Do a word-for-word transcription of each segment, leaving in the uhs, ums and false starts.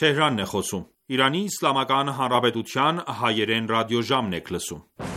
Թեհրանն է խոսում։ Իրանի Իսլամական Հանրապետության հայերեն ռադիոժամն եք լսում։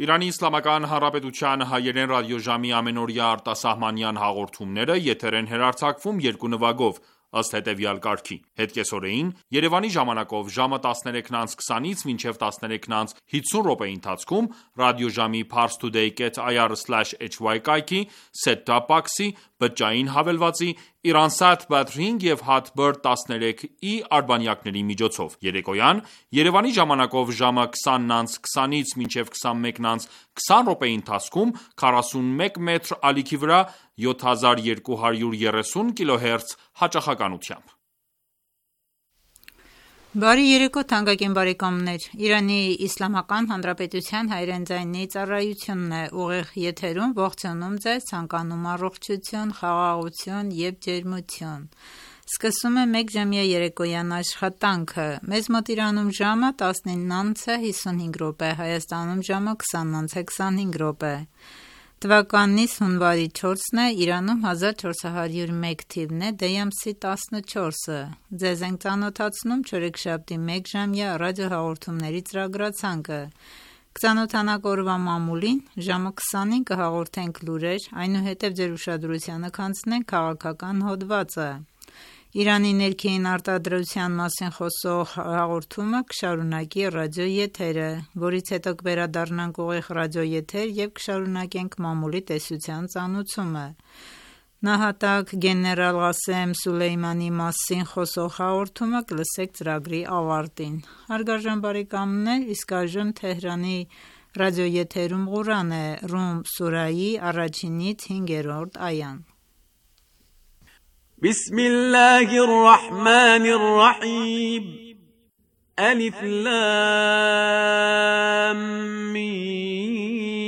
Իրանի Իսլամական Հանրապետության հայերեն ռադիոժամի ամենօրյա արտասահմանյան հաղորդումները եթեր են հեռարձակվում երկու նվագով, ըստ հետևյալ կարգի: Հետկեսօրեին Երևանի ժամանակով ժամը տասներեքն անց քսանից մինչև տասներեքն անց հիսուն րոպեի ընթացքում ռադիոժամի parstoday dot i r slash h y կայքի, set-top box-ի, բջջային հավելվածի, Iransat Batring և Hotbird տասներեք i արբանյակների միջոցով: Երեկոյան Երևանի ժամանակով ժամը քսանն անց քսանից մինչև քսանմեկն անց քսան րոպեի ընթացքում քառասունմեկ մետր ալիքի վրա յոթ հազար երկու հարյուր երեսուն կիլոհերց հաճախականությամբ։ Բարի երեկո թանկագին բարեկամներ, Իրանի Իսլամական Հանրապետության հայերեն ձայնի ծառայությունն է ուղիղ եթերում ողջունում ձեզ, ցանկանում առողջություն, խաղաղություն և ջերմություն։ Սկսում է մեկժամյա երեկոյան աշխատանքը։ Մեզ մոտ Իրանում ժամը տասնինն անց է հիսունհինգ րոպե, Հայաստանում ժամը քսանն անց է քսանհինգ րոպե։ Թվականից հունվարի չորսն է, Իրանում հազար չորս հարյուր մեկ թիվն է, դեյ ամսի տասնչորսը։ Ձեզ ենք ծանոթացնում չորեքշաբթի մեկժամյա ռադիոհաղորդումների ծրագրացանկը։ Կծանոթանաք օրվա մամուլին, ժամը քսանին կհաղորդենք լուրեր, այնուհետև ձեր ուշադրությանը կանցնենք քաղաքական հոդվածը։ Իրանի ներքին արտադրության մասին խոսող հաղորդումը կշարունակի ռադիոեթերը, որից հետո կվերադառնանք ուղիղ ռադիոեթեր և կշարունակենք մամուլի տեսության ծանուցումը։ Նահատակ գեներալ Ղասեմ Սուլեյմանի մասին խոսող հաղորդումը կլսեք ծրագրի ավարտին։ Հարգարժան բարեկամներ, իսկ այժմ Թեհրանի ռադիոեթերում Ղուրան է, Ռում սուրայի առաջինից հինգերորդ այան։ بسم الله الرحمن الرحيم ألف لام ميم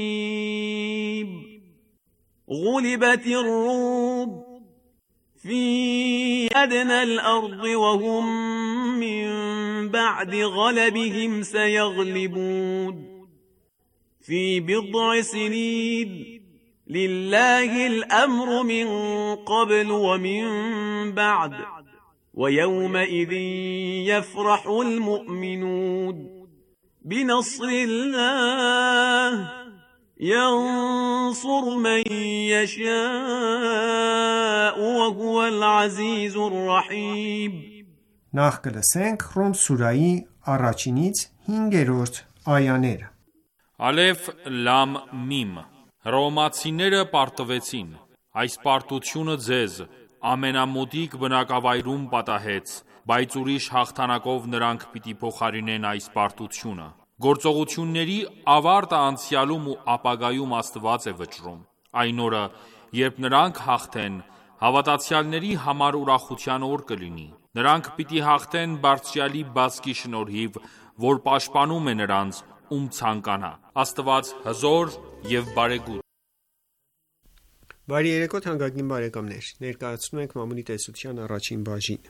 غلبت الروم في أدنى الأرض وهم من بعد غلبهم سيغلبون في بضع سنين لله الأمر من قبل ومن بعد ويومئذ يفرح المؤمنون بنصر الله ينصر من يشاء وهو العزيز الرحيم Նախ կլսենք Ռում սուրայի առաջինից հինգերորդ այաները։ Ալեֆ լամ միմ Հռոմեացիները պարտվեցին, այս պարտությունը ձեզ ամենամոտիկ բնակավայրում պատահեց, բայց ուրիշ հաղթանակով նրանք պիտի փոխարինեն այս պարտությունը։ Գործողությունների ավարտը անցյալում ու ապագայում Աստված է վճռում։ Այն օրը, երբ նրանք հաղթեն, հավատացյալների համար ուրախության օր կլինի։ Նրանք պիտի հաղթեն Բարձրյալի բազկի շնորհիվ, որ պաշտպանում է նրանց, ում ցանկանա։ Աստված հզոր և բարեգութ։ Բարի երեկո թանկագին բարեկամներ, ներկայացնում ենք մամուլի տեսության առաջին բաժին։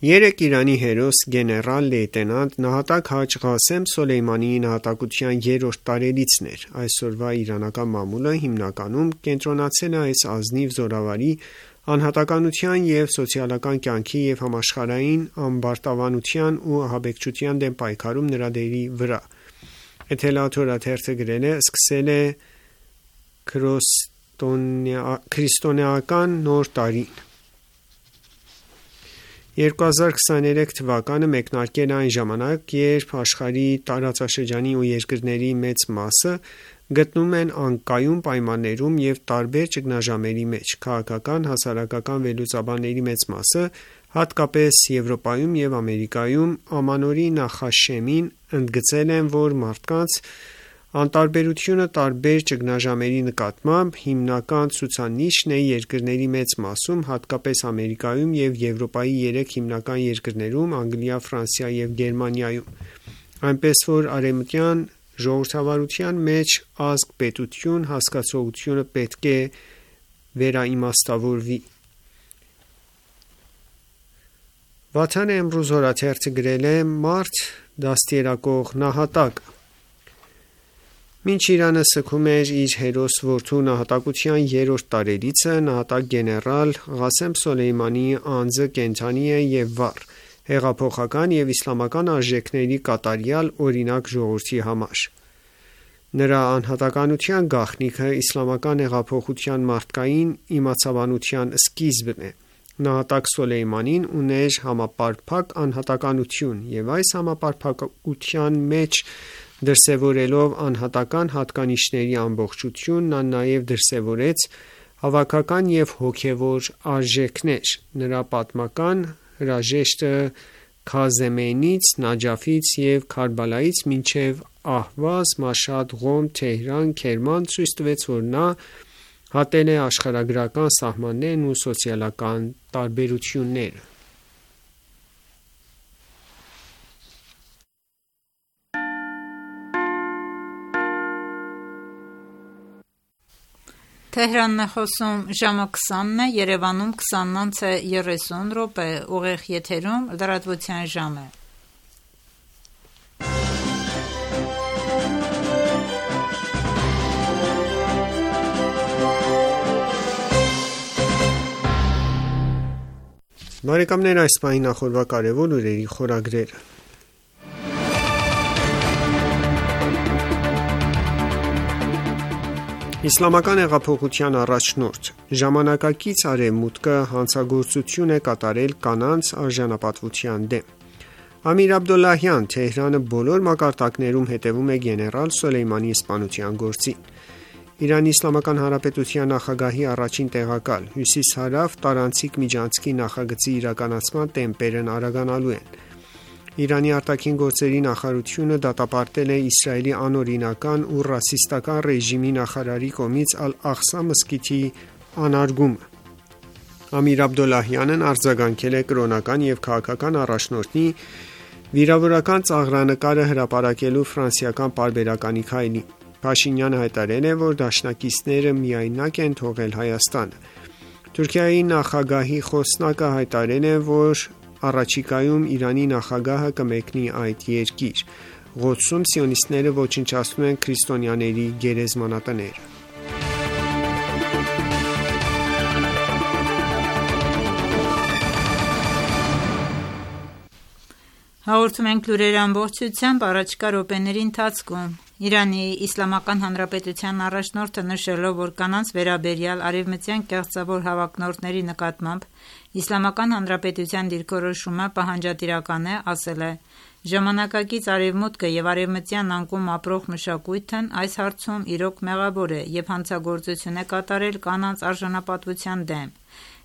Երեկ Իրանի հերոս գեներալ լեյտենանտ նահատակ Հաջ Ղասեմ Սոլեյմանի նահատակության երրորդ տարելիցն էր։ Այսօրվա իրանական մամուլը հիմնականում կենտրոնացել է այս ազնիվ զորավարի անհատականության և սոցիալական կյանքի և համաշխարհային ամբարտավանության ու ահաբեկչության դեմ պայքարում նրա դերի վրա։ Էթելաթորաթերթը գրել է. սկսել է քրիստոնեական նոր տարին։ երկու հազար քսաներեք թվականը մեկնարկել է այն ժամանակ, երբ աշխարհի տարածաշրջանի ու երկրների մեծ մասը գտնվում են անկայուն պայմաններում և տարբեր ճգնաժամերի մեջ։ Քաղաքական, հասարակական վերլուծաբանների մեծ մասը, հատկապես Եվրոպայում և Ամերիկայում, ամանորի նախաշեմին ընդգծել են, որ մարդկանց անտարբերությունը տարբեր ճգնաժամերի նկատմամբ հիմնական ցուցանիշն է երկրների մեծ մասում, հատկապես Ամերիկայում և Եվրոպայի երեք հիմնական երկրներում՝ Անգլիա, Ֆրանսիա և Գերմանիայում, այնպես որ արևմտյան ժողովրդավարության մեջ ազգ-պետություն հասկացությունը պետք է վերաիմաստավորվի։ Վաթան Էմրուզ օրաթերթը գրել է. «Մարդ դաստիարակող նահատակը»։ Մինչ Իրանը սգում էր իր հերոս որդու նահատակության երրորդ տարելիցը, նահատակ գեներալ Ղասեմ Սոլեյմանիի անձը կենդանի է և վառ, հեղափոխական և իսլամական արժեքների կատարյալ օրինակ ժողովրդի համար։ Նրա անհատականության գաղտնիքը իսլամական հեղափոխության մարդկային իմացաբանության սկիզբն է։ Նահատակ Սոլեյմանին ուներ համապարփակ անհատականություն և այս համապարփակության մեջ դրսևորելով անհատական հատկանիշների ամբողջություն, նա նաև դրսևորեց հավաքական և հոգևոր արժեքներ։ Նրա պատմական հրաժեշտը Քազեմեյնից, Նաջաֆից և Քարբալայից մինչև Ահվազ, Մաշհադ, Ղոմ, Թեհրան, Քերման ցույց տվեց, որ նա հատել է աշխարհագրական սահմաններն ու սոցիալական տարբերությունները։ Թեհրանն է խոսում ժամը քսանն է, Երևանում քսանն անց է երեսուն րոպե, ուղիղ եթերում լրատվության ժամ է։ Բարեկամներ, այս պահին նախորդ կարևոր լուրերի խորագրերը։ Իսլամական հեղափոխության առաջնորդ ժամանակակից Արևմուտքը հանցագործություն է կատարել կանանց արժանապատվության դեմ։ Ամիր Աբդոլլահյան, Թեհրանը բոլոր մակարդակներում հետևում է գեներալ Սոլեյմանի սպանության գործին։ Իրանի Իսլամական Հանրապետության նախագահի առաջին տեղակալ Հյուսիս-Հարավ տարանցիկ միջանցքի նախագծի իրականացման տեմպերն արագանալու են։ Իրանի արտաքին գործերի նախարարությունը դատապարտել է Իսրայելի անօրինական ու ռասիստական ռեժիմի նախարարի կողմից Ալ-Աղսա մզկիթի անարգումը։ Ամիր Աբդոլլահյանն արձագանքել է կրոնական և քաղաքական առաջնորդի վիրավորական ծաղրանկարը հրապարակելու ֆրանսիական պարբերականի քայլին։ Փաշինյանը հայտարարել է, որ դաշնակիցները միայնակ են թողել Հայաստանը։ Թուրքիայի նախագահի խոսնակը հայտարարել է, որ առաջիկայում Իրանի նախագահը կմեկնի այդ երկիր։ Ղոդսում սիոնիստները ոչնչացնում են քրիստոնյաների գերեզմանատները։ Հաղորդում ենք լուրերի ամբողջությամբ առաջիկա րոպեների ընթացքում։ Իրանի Իսլամական Հանրապետության առաջնորդը նշելով, որ կանանց վերաբերյալ արևմտյան կեղծավոր հավակնորդների նկատմամբ Իսլամական Հանրապետության դիրքորոշումը պահանջատիրական է, ասել է. «Ժամանակակից Արևմուտքը և արևմտյան անկում ապրող մշակույթն այս հարցում իրոք մեղավոր է և հանցագործություն է կատարել կանանց արժանապատվության դեմ»։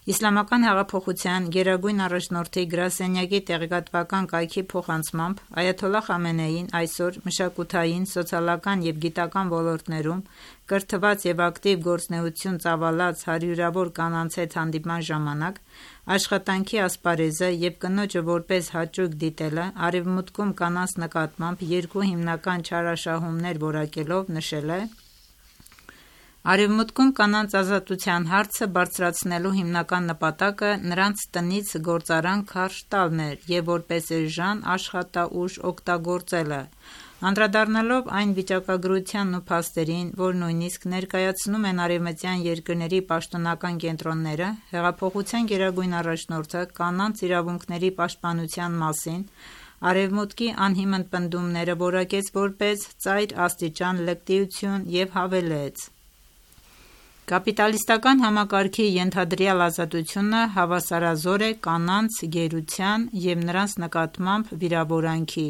Իսլամական հեղափոխության գերագույն առաջնորդի գրասենյակի տեղեկատվական կայքի փոխանցմամբ Այաթոլլահ Խամենեին այսօր մշակութային, սոցիալական և գիտական ոլորտներում կրթված և ակտիվ գործունեություն ծավալած հարյուրավոր կանանց հետ հանդիպման ժամանակ աշխատանքի ասպարեզը և կնոջը որպես հաճույք դիտելը Արևմուտքում կանանց նկատմամբ երկու հիմնական չարաշահումներ որակելով նշել է. «Արևմուտքում կանանց ազատության հարցը բարձրացնելու հիմնական նպատակը նրանց տնից գործարան քարշ տալն էր և որպես էժան աշխատաուժ օգտագործելը»։ Անդրադառնալով այն վիճակագրությանն ու փաստերին, որ նույնիսկ ներկայացնում են արևմտյան երկրների պաշտոնական կենտրոնները, հեղափոխության գերագույն առաջնորդը կանանց իրավունքների պաշտպանության մասին Արևմուտքի անհիմն պնդումները որակեց որպես ծայր աստիճան լկտիություն և հավելեց. «Կապիտալիստական համակարգի ենթադրյալ ազատությունը հավասարազոր է կանանց գերության և նրանց նկատմամբ վիրավորանքի,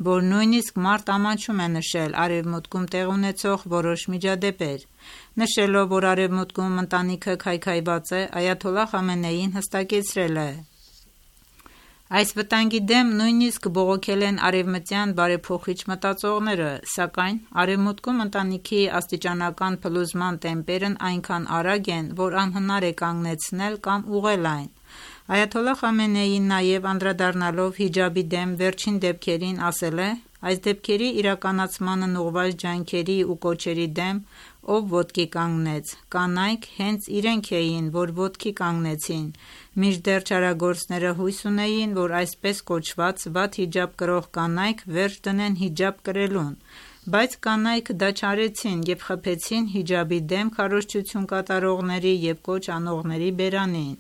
որ նույնիսկ մարդ ամաչում է նշել Արևմուտքում տեղի ունեցող որոշ միջադեպեր»: Նշելով, որ Արևմուտքում ընտանիքը քայքայված է, այաթոլլահ Խամենեին հստակեցրել է. «Այս վտանգի դեմ նույնիսկ բողոքել են արևմտյան բարեփոխիչ մտածողները, սակայն Արևմուտքում ընտանիքի աստիճանական փլուզման տեմպերն այնքան արագ են, որ անհնար է կանգնեցնել կամ ուղղել այն»: Այաթոլլահ Խամենեին նաև անդրադառնալով հիջաբի դեմ վերջին դեպքերին ասել է. «Այս դեպքերի իրականացմանն ուղղված ջանքերի ու կոչերի դեմ ով ոտքի կանգնեց: Կանայք հենց իրենք էին, որ ոտքի կանգնեցին, մինչդեռ չարագործները հույս ունեին, որ այսպես կոչված վատ հիջաբ կրող կանայք վերջ դնեն հիջաբ կրելուն, բայց կանայք դա չարեցին և խփեցին հիջաբի դեմ քարոզչություն կատարողների և կոչ անողների բերանին»: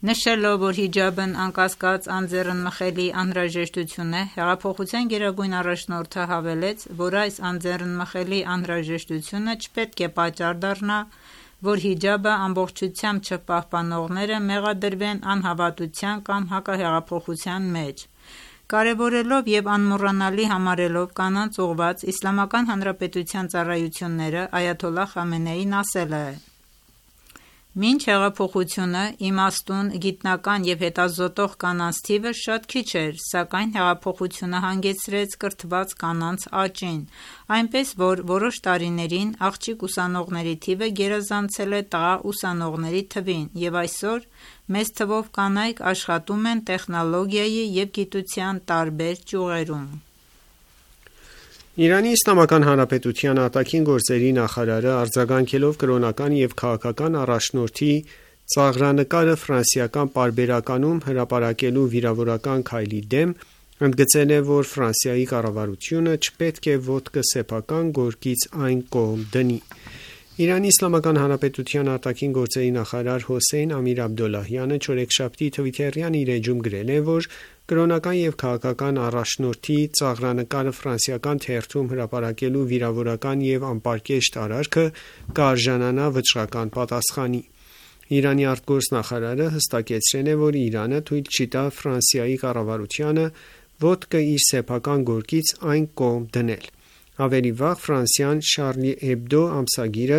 Նշելով, որ հիջաբն անկասկած անձեռնմխելի անհրաժեշտություն է, հեղափոխության գերագույն առաջնորդը հավելեց, որ այս անձեռնմխելի անհրաժեշտությունը չպետք է պատճառ դառնա, որ հիջաբը ամբողջությամբ չպահպանողները մեղադրվեն անհավատության կամ հակահեղափոխության մեջ: Կարևորելով և անմոռանալի համարելով կանանց ուղղված Իսլամական Հանրապետության ծառայությունները, այաթոլլահ Խամենեին ասել է. «Մինչ հեղափոխությունը իմաստուն, գիտնական և հետազոտող կանանց թիվը շատ քիչ էր, սակայն հեղափոխությունը հանգեցրեց կրթված կանանց աճին, այնպես որ որոշ տարիներին աղջիկ ուսանողների թիվը գերազանցել է տղա ուսանողների թվին և այսօր մեծ թվով կանայք աշխատում են տեխնոլոգիայի և գիտության տարբեր ճյուղերում»: Իրանի Իսլամական Հանրապետության արտաքին գործերի նախարարը արձագանքելով կրոնական և քաղաքական առաջնորդի ծաղրանկարը ֆրանսիական պարբերականում հրապարակելու վիրավորական քայլի դեմ, ընդգծել է, որ Ֆրանսիայի կառավարությունը չպետք է ոտքը սեփական գորգից այն կողմ դնի: Իրանի Իսլամական Հանրապետության արտաքին գործերի նախարար Հոսեյն Ամիր-Աբդոլլահյանը չորեքշաբթի թվիթերյան իր էջում գրել է, որ կրոնական և քաղաքական առաջնորդի ծաղրանկարը ֆրանսիական թերթում հրապարակելու վիրավորական և անպարկեշտ արարքը կարժանանա վճռական պատասխանի: Իրանի արտգործնախարարը հստակեցրել է, որ Իրանը թույլ չի տա Ֆրանսիայի կառավարությանը ոտքը իր սեփական գորգից այն կողմ դնել: Ավելի վաղ Ֆրանսիան Շարլի Էբդո ամսագիրը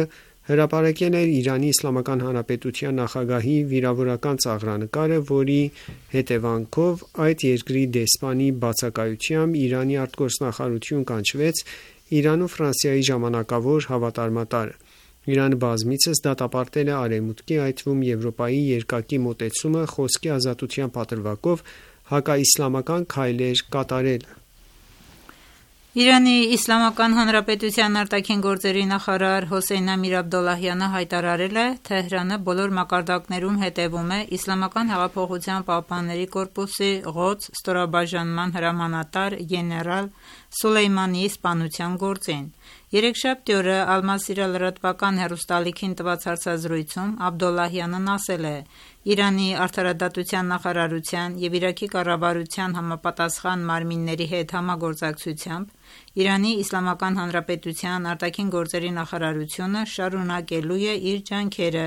հրապարակել էր Իրանի Իսլամական Հանրապետության նախագահի վիրավորական ծաղրանկարը, որի հետևանքով այդ երկրի դեսպանի բացակայությամբ Իրանի արտգործնախարարություն կանչվեց Իրան ու Ֆրանսիայի ժամանակավոր հավատարմատարը: Իրանը բազմիցս դատապարտել է Արևմուտքի, այդ թվում Եվրոպայի երկակի մոտեցումը խոսքի ազատության պատրվակով հակաիսլամական քայլեր կատարելը: Իրանի Իսլամական Հանրապետության արտաքին գործերի նախարար Հոսեյն Ամիր-Աբդոլլահյանը հայտարարել է. «Թեհրանը բոլոր մակարդակներում հետևում է Իսլամական հեղափոխության պահապանների կորպուսի Ղոդս ստորաբաժանման հրամանատար գեներալ Սոլեյմանիի սպանության գործին»: Երեքշաբթի օրը Ալ-Մասիրա լրատվական հեռուստաալիքին տված հարցազրույցում Աբդոլլահյանն ասել է. «Իրանի արդարադատության նախարարության և Իրաքի կառավարության համապատասխան մարմինների հետ համագործակցությամբ Իրանի Իսլամական Հանրապետության արտաքին գործերի նախարարությունը շարունակելու է իր ջանքերը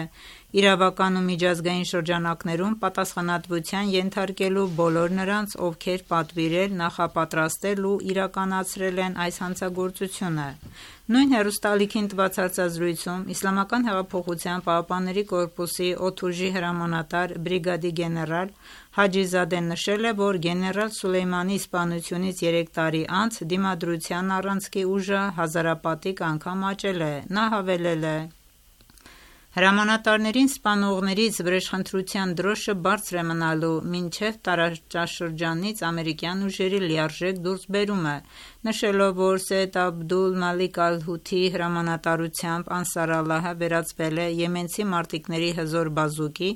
իրավական ու միջազգային շրջանակներում պատասխանատվության ենթարկելու բոլոր նրանց, ովքեր պատվիրել, նախապատրաստել ու իրականացրել են այս հանցագործությունը»: Նույն հեռուստաալիքին տված հարցազրույցում Իսլամական հեղափոխության պահապանների կորպուսի օդուժի հրամանատար բրիգադի գեներալ Հաջիզադեն նշել է, որ գեներալ Սոլեյմանիի սպանությունից երեք տարի անց Դիմադրության առանցքի ուժը հազարապատիկ անգամ աճել է: Նա հավելել է. «Հրամանատարներին սպանողներից վրեժխնդրության դրոշը բարձր է մնալու մինչև տարածաշրջանից ամերիկյան ուժերի լիարժեք դուրսբերումը»: Նշելով, որ Սեյեդ Աբդուլ Մալիկ Ալ-Հութիի հրամանատարությամբ Անսար Ալլահը վերածվել է եմենցի մարտիկների հզոր բազուկի,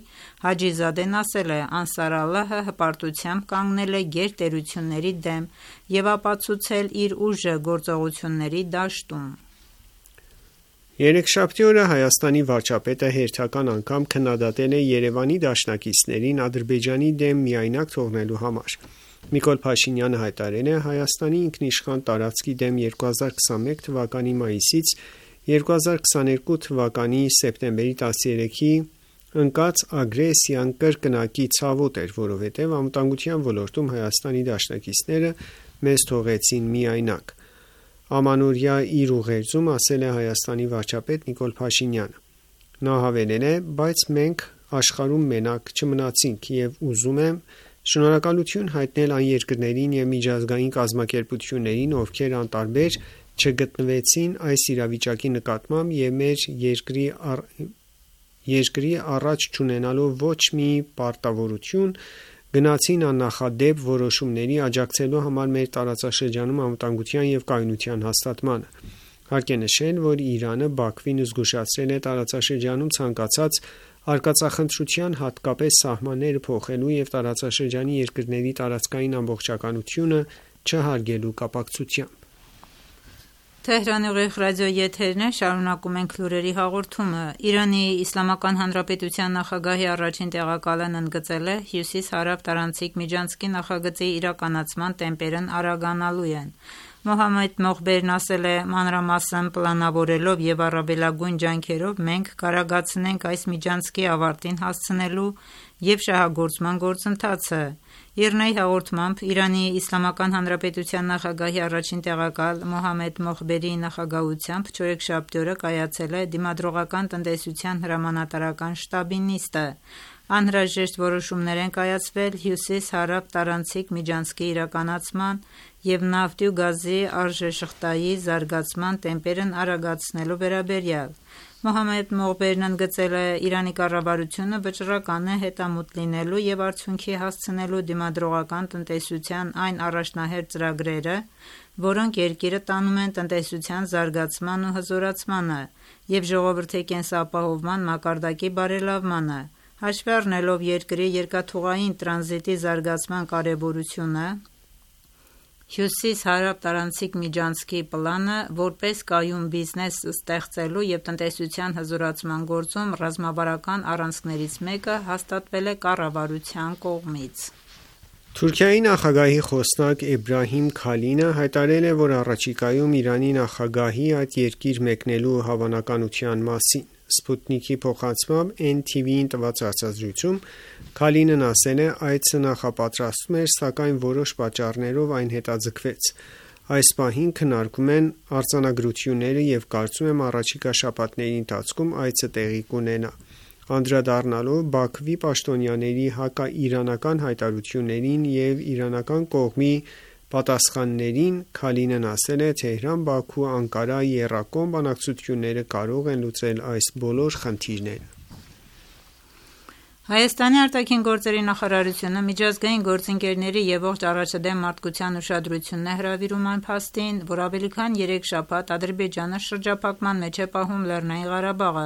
Հաջիզադեն ասել է. «Անսար Ալլահը հպարտությամբ կանգնել է գերտերությունների դեմ և ապացուցել իր ուժը գործողությունների դաշտում»: Երեքշաբթի օրը Հայաստանի վարչապետը հերթական անգամ քննադատել է Երևանի դաշնակիցներին Ադրբեջանի դեմ միայնակ թողնելու համար: Նիկոլ Փաշինյանը հայտարարել է Հայաստանի ինքնիշխան տարածքի դեմ երկու հազար քսաներեք թվականի մայիսից երկու հազար քսաներկու թվականի սեպտեմբերի տասներեքի ընկած ագրեսիան կրկնակի ցավոտ էր, որովհետև անվտանգության ոլորտում Հայաստանի դաշնակիցները մեզ թողեցին միայնակ, ամանորյա իր ուղերձում ասել է Հայաստանի վարչապետ Նիկոլ Փաշինյանը։ Նա հավելել է. բայց մենք աշխարհում մենակ չմնացինք և ուզում եմ շնորհակալություն հայտնել այն երկրներին և միջազգային կազմակերպություններին, ովքեր անտարբեր չգտնվեցին այս իրավիճակի նկատմամբ և մեր երկրի, առ... երկրի առաջ չունենալով ոչ մի պարտավորություն, գնացին աննախադեպ որոշումների աջակցելու համար մեր տարածաշրջանում անվտանգության և կայունության հաստատմանը։ Հարկ է նշել, որ Իրանը Բաքվին զգուշացրել է տարածաշրջանում ցանկացած արկածախնդրության, հատկապես սահմանները փոխելու և տարածաշրջանի երկրների տարածքային ամբողջականությունը չհարգելու կապակցությամբ։ Թեհրանի ուղիղ ռադիոյի եթերն է, շարունակում ենք լուրերի հաղորդումը։ Իրանի Իսլամական Հանրապետության նախագահի առաջին տեղակալն ընդգծել է Հյուսիս-Հարավ տարանցիկ միջանցքի նախագծի իրականացման տեմպերն արագանալու են։ Մոհամմեդ Մոխբերն ասել է. մանրամասն պլանավորելով և առավելագույն ջանքերով մենք կարագացնենք այս միջանցքի ավարտին հասցնելու և շահագործման գործընթացը։ ԻՌՆԱ-ի հաղորդմամբ Իրանի Իսլամական Հանրապետության նախագահի առաջին տեղակալ Մոհամմեդ Մոխբերի նախագահությամբ չորեքշաբթի օրը կայացել է Դիմադրողական տնտեսության հրամանատարական շտաբի նիստը։ Անհրաժեշտ որոշումներ են կայացվել Հյուսիս-Հարավ տարանցիկ միջանցքի իրականացման և նավթի ու գազի արժեշղթայի զարգացման տեմպերն արագացնելու վերաբերյալ։ Մոհամմեդ Մոխբերն ընդգծել է. Իրանի կառավարությունը վճռական է հետամուտ լինելու և արդյունքի հասցնելու դիմադրողական տնտեսության այն առաջնահերթ ծրագրերը, որոնք երկիրը տանում են տնտեսության զարգացման ու հզորացմանը և ժողովրդի կենսապահովման մակարդակի բարելավմանը։ Հաշվի առնելով երկրի երկաթուղային տրանզիտի զարգացման կարևորությունը, Հյուսիս-Հարավ տարանցիկ միջանցքի պլանը, որպես կայուն բիզնես ստեղծելու և տնտեսության հզորացման գործում ռազմավարական առանցքներից մեկը հաստատվել է կառավարության կողմից։ Թուրքիայի նախագահի խոսնակ Էբրահիմ Քալինը հայտարարել է, որ առաջիկայում Իրանի նախագահի այդ երկիր մեկնելու հավանականության մասին։ Սպուտնիկի փոխանցմամբ Էն Թի Վի-ին տված հարցազրույցում Քալինն ասել է. այցը նախապատրաստվում էր, սակայն որոշ պատճառներով այն հետաձգվեց։ Այս պահին քննարկում են արձանագրությունները և կարծում եմ առաջիկա շաբաթների ընթացքում այցը տեղի կունենա։ Անդրադառնալով Բաքվի պաշտոնյաների հակաիրանական հայտարարություններին և իրանական կողմի պատասխաններին, Քալինն ասել է. Թեհրան-Բաքու-Անկարա եռակողմ բանակցությունները կարող են լուծել այս բոլոր խնդիրները։ Հայաստանի արտաքին գործերի նախարարությունը միջազգային գործընկերների և ողջ առաջադեմ մարդկության ուշադրությունն է հրավիրում այն փաստին, որ ավելի քան երեք շաբաթ Ադրբեջանը շրջափակման մեջ է պահում Լեռնային Ղարաբաղը։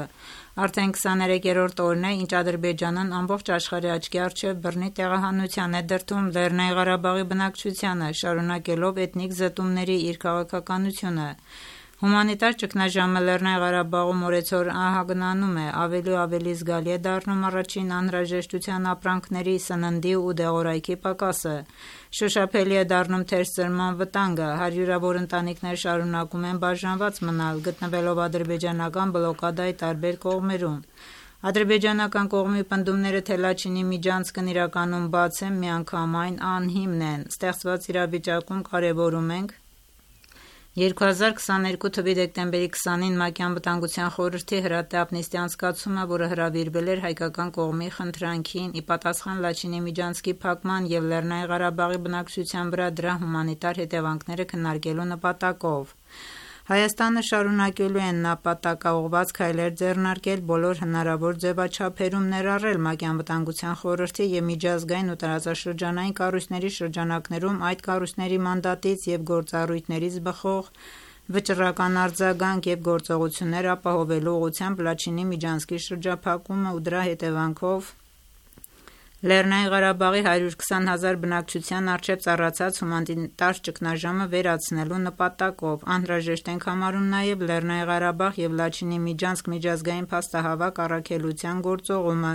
Արդեն քսաներեքերորդ օրն է, ինչ Ադրբեջանն ամբողջ աշխարհի աչքի առջև բռնի տեղահանության է դրդում Լեռնային Ղարաբաղի բնակչությանը, շարունակելով էթնիկ զտումների իր քաղաքականությունը։ Հումանիտար ճգնաժամը Լեռնային Ղարաբաղում օրեցօր ահագնանում է, ավելի ու ավելի զգալի է դառնում առաջին անհրաժեշտության ապրանքների, սննդի ու դեղորայքի պակասը։ Շոշափելի է դառնում թերսրման վտանգը, հարյուրավոր ընտանիքներ շարունակում են բաժանված մնալ, գտնվելով ադրբեջանական բլոկադայի տարբեր կողմերում։ Ադրբեջանական կողմի պնդումները, թե Լաչինի միջանցքն իրականում բաց է, միանգամայն անհիմն են։ Ստեղծված իրավիճակում կարևորում ենք երկու հազար քսաներկու թվականի դեկտեմբերի քսանին ՄԱԿ-ի Անվտանգության խորհրդի հրատապ նիստի անցկացումը, որը հրավիրվել էր հայկական կողմի խնդրանքին, ի պատասխան Լաչինի միջանցքի փակման և Լեռնային Ղարաբաղի բնակչության վրա դրա հումանիտար հետևանքները քննարկելու նպատակով։ Հայաստանը շարունակելու է նպատակաուղղված քայլեր ձեռնարկել բոլոր հնարավոր ձևաչափերում, ներառել ՄԱԿ-ի Անվտանգության խորհրդի և միջազգային ու տարածաշրջանային կառույցների շրջանակներում այդ կառույցների մանդատից և գործառույթներից բխող վճռական արձագանք և գործողություններ ապահովելու ուղղությամբ Լաչինի միջանցքի շրջափակումը ու դրա հետևանքով Լեռնային Ղարաբաղի հարյուր քսան հազար բնակչության առջև ծառացած հումանիտար ճգնաժամը վերացնելու նպատակով անհրաժեշտ ենք համարում նաև Լեռնային Ղարաբաղ և Լաչինի Միջանցք միջազգային փաստահավաք առաքելության գործողումը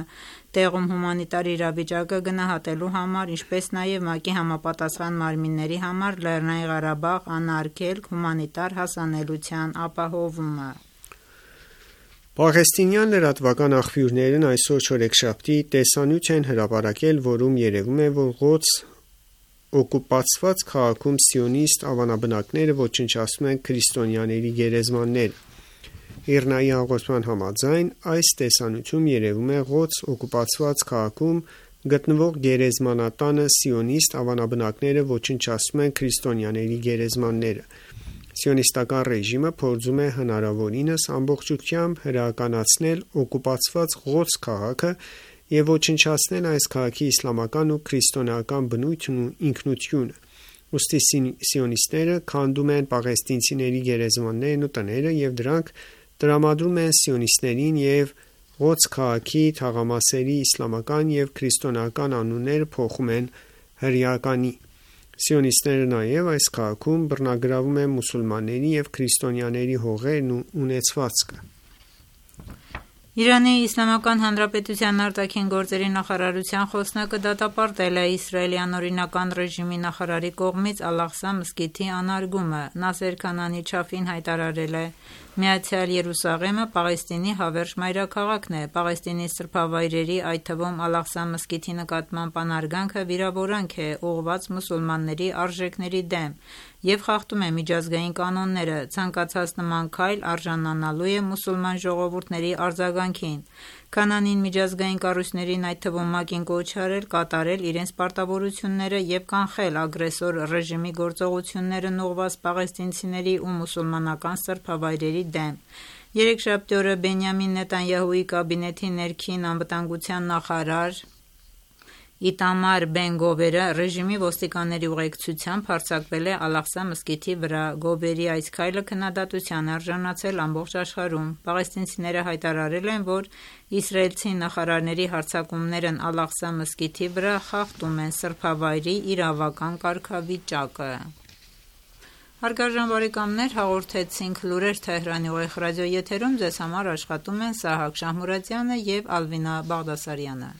տեղում հումանիտար իրավիճակը գնահատելու համար, ինչպես նաև ՄԱԿ-ի համապատասխան մարմինների համար Լեռնային Ղարաբաղ անարգելք հումանիտար հասանելիության ապահովումը։ Պաղեստինյան լրատվական աղբյուրներն այսօր չորեքշաբթի տեսանյութ են հրապարակել, որում երևում է, որ Ղոդս օկուպացված քաղաքում սիոնիստ ավանաբնակները ոչնչացնում են քրիստոնյաների գերեզմանները։ ԻՌՆԱ-ի հաղորդման համաձայն, այս տեսանյութում երևում է Ղոդս օկուպացված քաղաքում գտնվող գերեզմանատանը սիոնիստ ավանաբնակները ոչնչացնում են քրիստոնյաների գերեզմանները։ Սիոնիստական ռեժիմը փորձում է հնարավորինս ամբողջությամբ հրեականացնել օկուպացված Ղոդս քաղաքը և ոչնչացնել այս քաղաքի իսլամական ու քրիստոնեական բնույթն ու ինքնությունը։ Ուստի սիոնիստները քանդում են պաղեստինցիների գերեզմաններն ու տները և դրանք տրամադրում են սիոնիստներին և Ղոդս քաղաքի թաղամասերի իսլամական և քրիստոնեական անունները փոխում են հրեականի։ Սիոնիստները նաև այս քաղաքում բռնագրավում են մուսուլմանների և քրիստոնյաների հողերն ու ունեցվածքը։ Իրանի Իսլամական Հանրապետության արտաքին գործերի նախարարության խոսնակը դատապարտել է Իսրայելի անօրինական ռեժիմի նախարարի կողմից Ալ-Աղսա մզկիթի անարգումը։ Նասեր Քանանի Չաֆին հայտարարել է. «Միացյալ Երուսաղեմը Պաղեստինի հավերժ մայրաքաղաքն է։ Պաղեստինի սրբավայրերի, այդ թվում Ալ-Աղսա մզկիթի նկատմամբ անարգանքը վիրավորանք է ուղղված մուսուլմանների արժեքների դեմ և խախտում է միջազգային կանոնները։ Ցանկացած նման քայլ արժանանալու է մուսուլման ժողովուրդների արձագանքին»։ Քանանին միջազգային կառույցներին, այդ թվում ՄԱԿ-ին կոչ արել կատարել իրենց պարտավորությունները և կանխել ագրեսոր ռեժիմի գործողություններն ուղղված պաղեստինցիների ու մուսուլմանական սրբավայրերի դեմ։ Երեքշաբթի օրը Բենյամին Նեթանյահուի կաբինետի ներքին անվտանգության նախարար Իտամար Բեն-Գովերը ռեժիմի ոստիկանների ուղեկցությամբ հարձակվել է Ալ-Աղսա մզկիթի վրա։ Գովերի այս քայլը քննադատության է արժանացել ամբողջ աշխարհում։ Պաղեստինցիները հայտարարել են, որ իսրայելցի նախարարների հարձակումներն Ալ-Աղսա մզկիթի վրա խախտում են սրբավայրի իրավական կարգավիճակը։ Հարգարժան բարեկամներ, հաղորդեցինք լուրեր Թեհրանի ուղիղ ռադիոեթերում, ձեզ համար աշխատում են Սահակ Շահմուրադյանը և Ալվինա Բաղդասարյանը։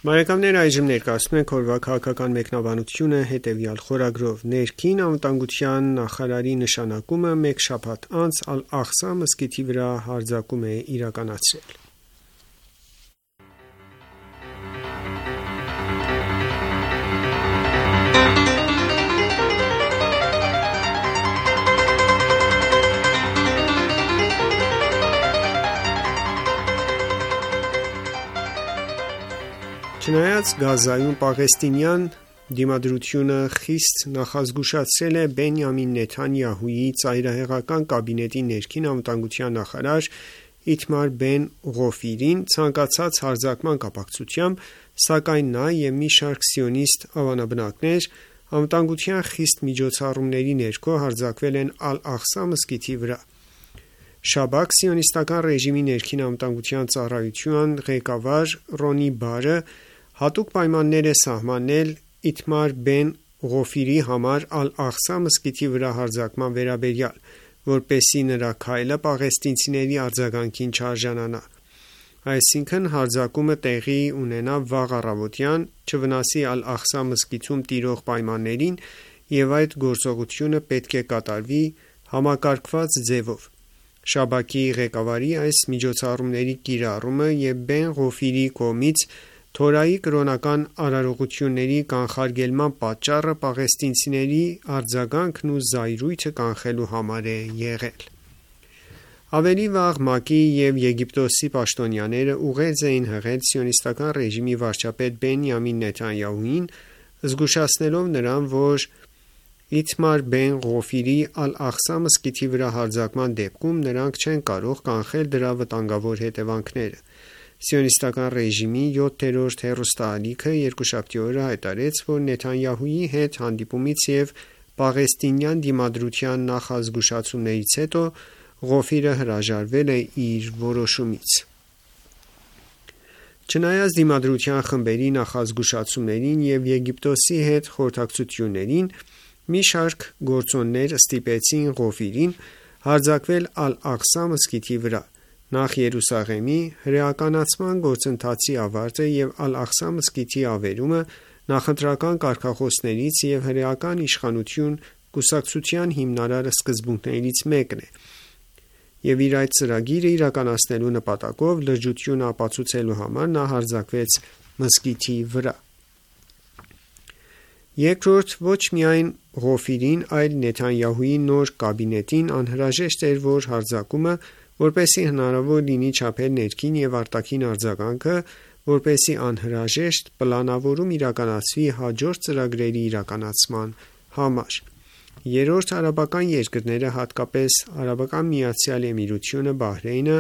Բարեկամներ, այժմ ներկայացնում ենք օրվա քաղաքական մեկնաբանությունը հետևյալ խորագրով. Ներքին անվտանգության նախարարի նշանակումը մեկ շաբաթ անց Ալ-Աղսա մզկիթի վրա հարձակում է իրականացրել։ Չնայած Գազայում պաղեստինյան դիմադրությունը խիստ նախազգուշացրել է Բենյամին Նեթանյահուի ծայրահեղական կաբինետի ներքին անվտանգության նախարար Իտմար Բեն-Ղոֆիրին ցանկացած հարձակման կապակցությամբ, սակայն նա և մի շարք սիոնիստ ավանաբնակներ անվտանգության խիստ միջոցառումների ներքո հարձակվել են Ալ-Աղսա մզկիթի վրա։ Շաբաք սիոնիստական ռեժիմի ներքին անվտանգության ծառայության ղեկավար Ռոնի Բարը հատուկ պայմաններ է սահմանել Իտմար Բեն-Ղոֆիրի համար Ալ-Աղսա մզկիթի վրա հարձակման վերաբերյալ, որպեսզի նրա քայլը պաղեստինցիների արձագանքին չարժանանա։ Այսինքն հարձակումը տեղի ունենա վաղ առավոտյան, չվնասի Ալ-Աղսա մզկիթում տիրող պայմաններին և այդ գործողությունը պետք է կատարվի համակարգված ձևով։ Շաբաքի ղեկավարի այս միջոցառումների կիրառումը և Բեն-Ղոֆիրի կողմից Թորայի կրոնական արարողությունների կանխարգելման պատճառը պաղեստինցիների արձագանքն ու զայրույթը կանխելու համար է եղել։ Ավելի վաղ ՄԱԿ-ի և Եգիպտոսի պաշտոնյաները ուղերձ էին հղել սիոնիստական ռեժիմի վարչապետ Բենյամին Նեթանյահուին, զգուշացնելով նրան, որ Իտմար Բեն-Ղոֆիրի Ալ-Աղսա մզկիթի վրա հարձակման դեպքում նրանք չեն կարող կանխել դրա վտանգավոր հետևանքները։ Սիոնիստական ռեժիմի յոթերորդ հեռուստաալիքը երկուշաբթի օրը հայտարարեց, որ Նեթանյահուի հետ հանդիպումից և պաղեստինյան դիմադրության նախազգուշացումներից հետո Ղոֆիրը հրաժարվել է իր որոշումից։ Չնայած դիմադրության խմբերի նախազգուշացումներին և Եգիպտոսի հետ խորհրդակցություններին, մի շարք գործոններ ստիպեցին Ղոֆիրին հարձակվել Ալ-Աղսա մզկիթի վրա։ Նախ Երուսաղեմի հրեականացման գործընթացի ավարտը և Ալ-Աղսա մզկիթի ավերումը նախընտրական կարգախոսներից և հրեական իշխանություն կուսակցության հիմնարար սկզբունքներից մեկն է, և իր այդ ծրագիրը իրականացնելու նպատակով լրջությունը ապացուցելու համար նա հարձակվեց մզկիթի վրա։ Երկրորդ, ոչ միայն Ղոֆիրին, այլ Նեթանյահուի նոր կաբինետին անհրաժեշտ էր, որ հարձակումը, որպեսզի հնարավոր լինի չափել ներքին և արտաքին արձագանքը, որպեսզի անհրաժեշտ պլանավորում իրականացվի հաջորդ ծրագրերի իրականացման համար։ Երրորդ, արաբական երկրները, հատկապես Արաբական Միացյալ Էմիրությունը, Բահրեյնը,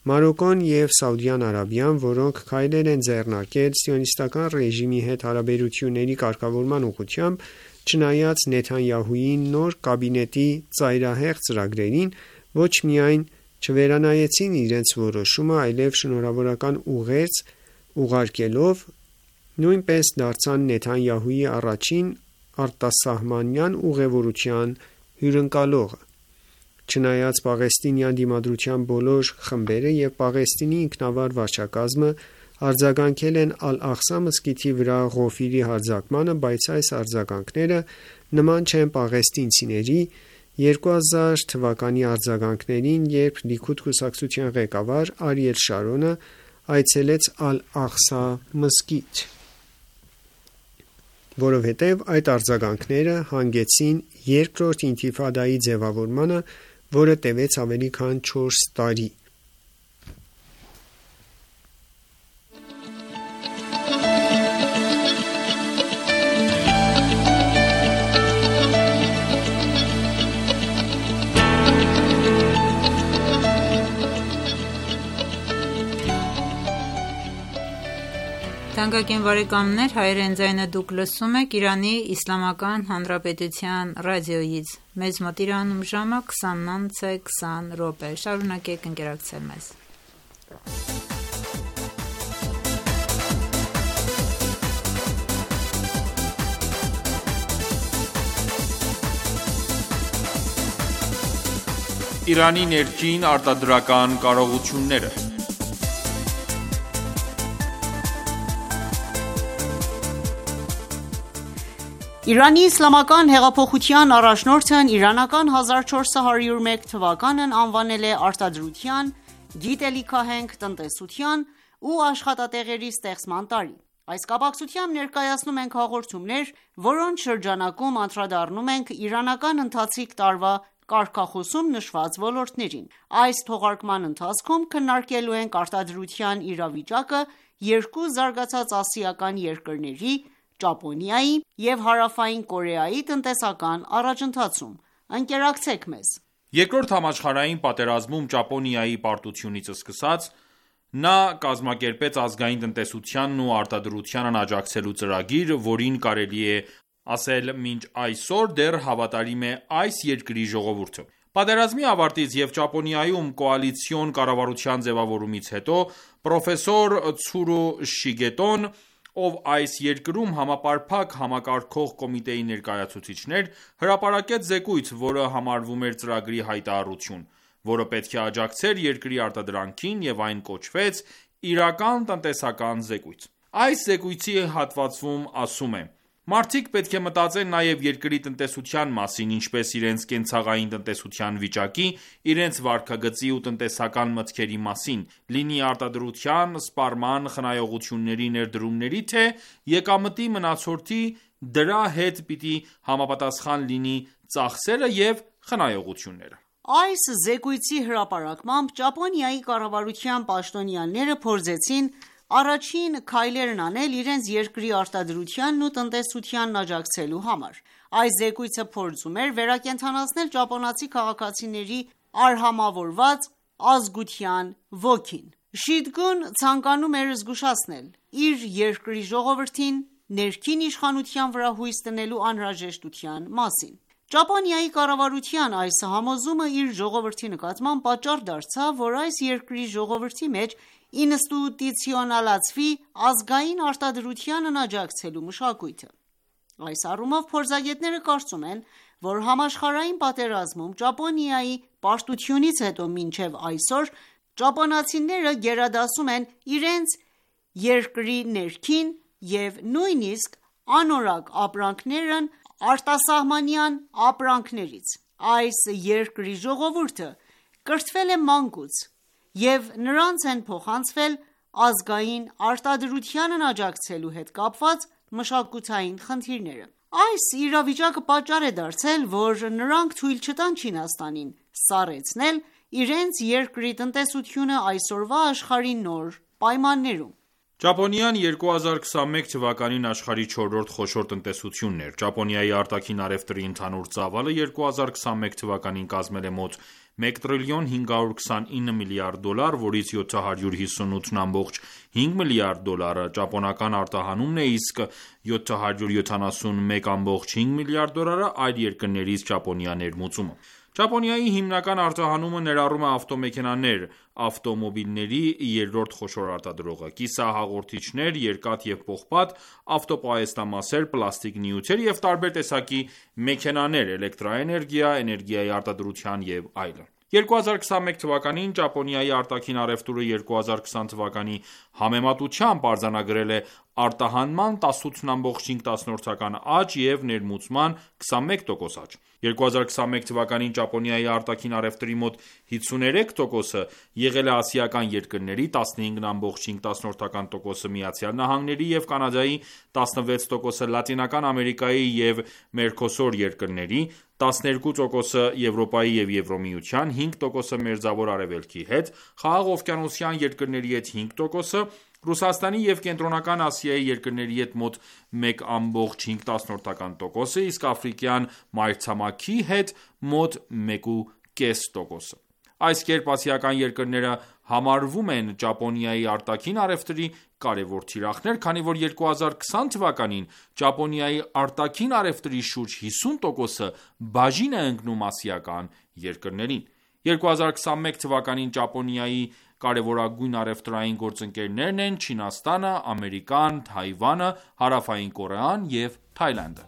Մարոկկոն և Սաուդյան Արաբիան, որոնք քայլեր են ձեռնարկել Սիոնիստական ռեժիմի հետ հարաբերությունների կարգավորման ուղղությամբ, չնայած Նեթանյահուի նոր կաբինետի ծայրահեղ ծրագրերին, ոչ միայն չվերանայեցին իրենց որոշումը, այլև շնորհավորական ուղերձ ուղարկելով, նույնպես դարձան Նեթանյահուի առաջին արտասահմանյան ուղևորության հյուրընկալողը։ Չնայած պաղեստինյան դիմադրության բոլոր խմբերը և Պաղեստինի ինքնավար վարչակազմը արձագանքել են Ալ-Աղսա մզկիթի վրա Ղոֆիրի հարձակմանը, բայց այս արձագանքները նման չեն պաղեստինցիների երկու հազար թվականի արձագանքներին, երբ Լիքուդ կուսակցության ղեկավար Արիել Շարոնը այցելեց Ալ-Աղսա մզկիթ, որովհետև այդ արձագանքները հանգեցրին երկրորդ ինթիֆադայի ձևավորմանը, որը տևեց ավելի քան չորս տարի։ Թանկագին բարեկամներ, հայրեն ձայնը դուք լսում եք Իրանի Իսլամական Հանրապետության ռադիոյից։ Մեզ մոտ Իրանում ժամը քսանինը քսան րոպե։ Շարունակեք ընկերակցել մեզ։ Իրանի ներքին արտադրական կարողությունները։ Իրանի իսլամական հեղափոխության առաջնորդն իրանական հազար չորս հարյուր մեկ թվականն անվանել է արտադրության, գիտելիքահենք տնտեսության ու աշխատատեղերի ստեղծման տարի։ Այս կապակցությամբ ներկայացնում ենք հաղորդումներ, որոնց շրջանակում անդրադառնում ենք իրանական ընթացիկ տարվա կարգախոսում նշված ոլորտներին։ Այս թողարկման ընթացքում քննարկելու ենք արտադրության իրավիճակը երկու զարգացած ասիական երկրների՝ Ճապոնիայի և Հարավային Կորեայի տնտեսական առաջընթացում։ Ընկերակցեք մեզ։ Երկրորդ համաշխարհային պատերազմում Ճապոնիայի պարտությունից սկսած, նա կազմակերպեց ազգային տնտեսությանն ու արտադրությանն աջակցելու ծրագիր, որին կարելի է ասել մինչ այսօր դեռ հավատարիմ է այս երկրի ժողովուրդը։ Պատերազմի ավարտից և Ճապոնիայում կոալիցիոն կառավարության ձևավորումից հետո պրոֆեսոր Ցուրո Շիգետոն, ով այս երկրում համապարփակ համակարգող կոմիտեի ներկայացուցիչն էր, հրապարակեց զեկույց, որը համարվում էր ծրագրի հայտարարություն, որը պետք է աջակցեր երկրի արտադրանքին, և այն կոչվեց «Իրական տնտեսական զեկույց»։ Այս զեկույցի հատվածում ասում է. «Մարդիկ պետք է մտածեն նաև երկրի տնտեսության մասին, ինչպես իրենց կենցաղային տնտեսության վիճակի, իրենց վարքագծի ու տնտեսական մտքերի մասին, լինի արտադրության, սպառման, խնայողությունների ներդրումների, թե եկամտի մնացորդի, դրա հետ պիտի համապատասխան լինի ծախսերը և խնայողությունները»։ Այս զեկույցի հրապարակմամբ Ճապոնիայի կառավարության պաշտոնյաները փորձեցին առաջին քայլերն անել իրենց երկրի արտադրությանն ու տնտեսությանն աջակցելու համար։ Այս զեկույցը փորձում էր վերակենդանացնել ճապոնացի քաղաքացիների արհամավորված ազգության ոգին։ Շիդգուն ցանկանում էր զգուշացնել իր երկրի ժողովրդին ներքին իշխանության վրա հույս դնելու անհրաժեշտության մասին։ Ճապոնիայի կառավարության այս համոզումը իր ժողովրդի նկատմամբ պատճառ դարձավ, որ այս երկրի ժողովրդի մեջ ինստիտուցիոնալացվի ազգային արտադրությանն աջակցելու մշակույթը։ Այս առումով փորձագետները կարծում են, որ համաշխարհային պատերազմում Ճապոնիայի պարտությունից հետո մինչև այսօր ճապոնացիները գերադասում են իրենց երկրի ներքին և նույնիսկ անորակ ապրանքներն արտասահմանյան ապրանքներից։ Այս երկրի ժողովուրդը կրթվել է մանկուց և նրանց են փոխանցվել ազգային արտադրությանն աջակցելու հետ կապված մշակութային խնդիրները։ Այս իրավիճակը պատճառ է դարձել, որ նրանք թույլ չտան Չինաստանին սառեցնել իրենց երկրի տնտեսությունը այսօրվա աշխարհի նոր պայմաններում։ Ճապոնիան երկու հազար քսանմեկ թվականին աշխարհի չորրորդ խոշոր տնտեսությունն էր։ Ճապոնիայի արտաքին առևտրի ընդհանուր ծավալը երկու հազար քսանմեկ թվականին կազմել է մոտ մեկ տրիլիոն հինգ հարյուր քսանինը միլիարդ դոլար, որից յոթ հարյուր հիսունութ բնամբողջ հինգ միլիարդ դոլարը ճապոնական արտահանումն է, իսկ յոթ հարյուր յոթանասունմեկ բնամբողջ հինգ միլիարդ դոլարը այլ երկրներից Ճապոնիա ներմուծումը։ Ճապոնիայի հիմնական արտահանումը ներառում է ավտոմեքենաներ, ավտոմոբիլների երրորդ խոշոր արտադրողը, կիսահաղորդիչներ, երկաթ և պողպատ, ավտոպահեստամասեր, պլաստիկ նյութեր և տարբեր տեսակի մեքենաներ, էլեկտրաէներգիա, էներգիայի արտադրության և այլն։ երկու հազար քսանմեկ թվականին Ճապոնիայի արտաքին առևտուրը երկու հազար քսան թվականի համեմատությամբ արձանագրել է արտահանման տասնութ բնամբողջ հինգ աճ և ներմուծման քսանմեկ տոկոս աճ։ երկու հազար քսանմեկ թվականին Ճապոնիայի արտաքին առևտրի մոտ հիսուներեք տոկոսը եղել է ասիական երկրների, տասնհինգ բնամբողջ հինգ տոկոսը ԱՄՆ-ի և Կանադայի, տասնվեց տոկոսը Լատինական Ամերիկայի և Մերկոսուր երկրների, տասներկու տոկոսը Եվրոպայի և Եվրամիության, հինգ տոկոսը Մերձավոր Արևելքի հետ, Խաղաղօվկիանոսյան երկրների հետ հինգ տոկոսը, Ռուսաստանի և Կենտրոնական Ասիայի երկրների հետ մոտ մեկ բնամբողջ հինգ տոկոսը, իսկ աֆրիկյան մայրցամաքի հետ մոտ մեկ բնամբողջ հինգ տոկոսը։ Այս կերպ ասիական երկրները համարվում են Ճապոնիայի արտաքին առևտրի կարևոր թիրախներ, քանի որ երկու հազար քսան թվականին Ճապոնիայի արտաքին առևտրի շուրջ հիսուն տոկոսը բաժին է ընկնում ասիական երկրներին։ երկու հազար քսանմեկ թվականին Ճապոնիայի կարևորագույն առևտրային գործընկերներն են Չինաստանը, Ամերիկան, Թայվանը, Հարավային Կորեան և Թայլանդը։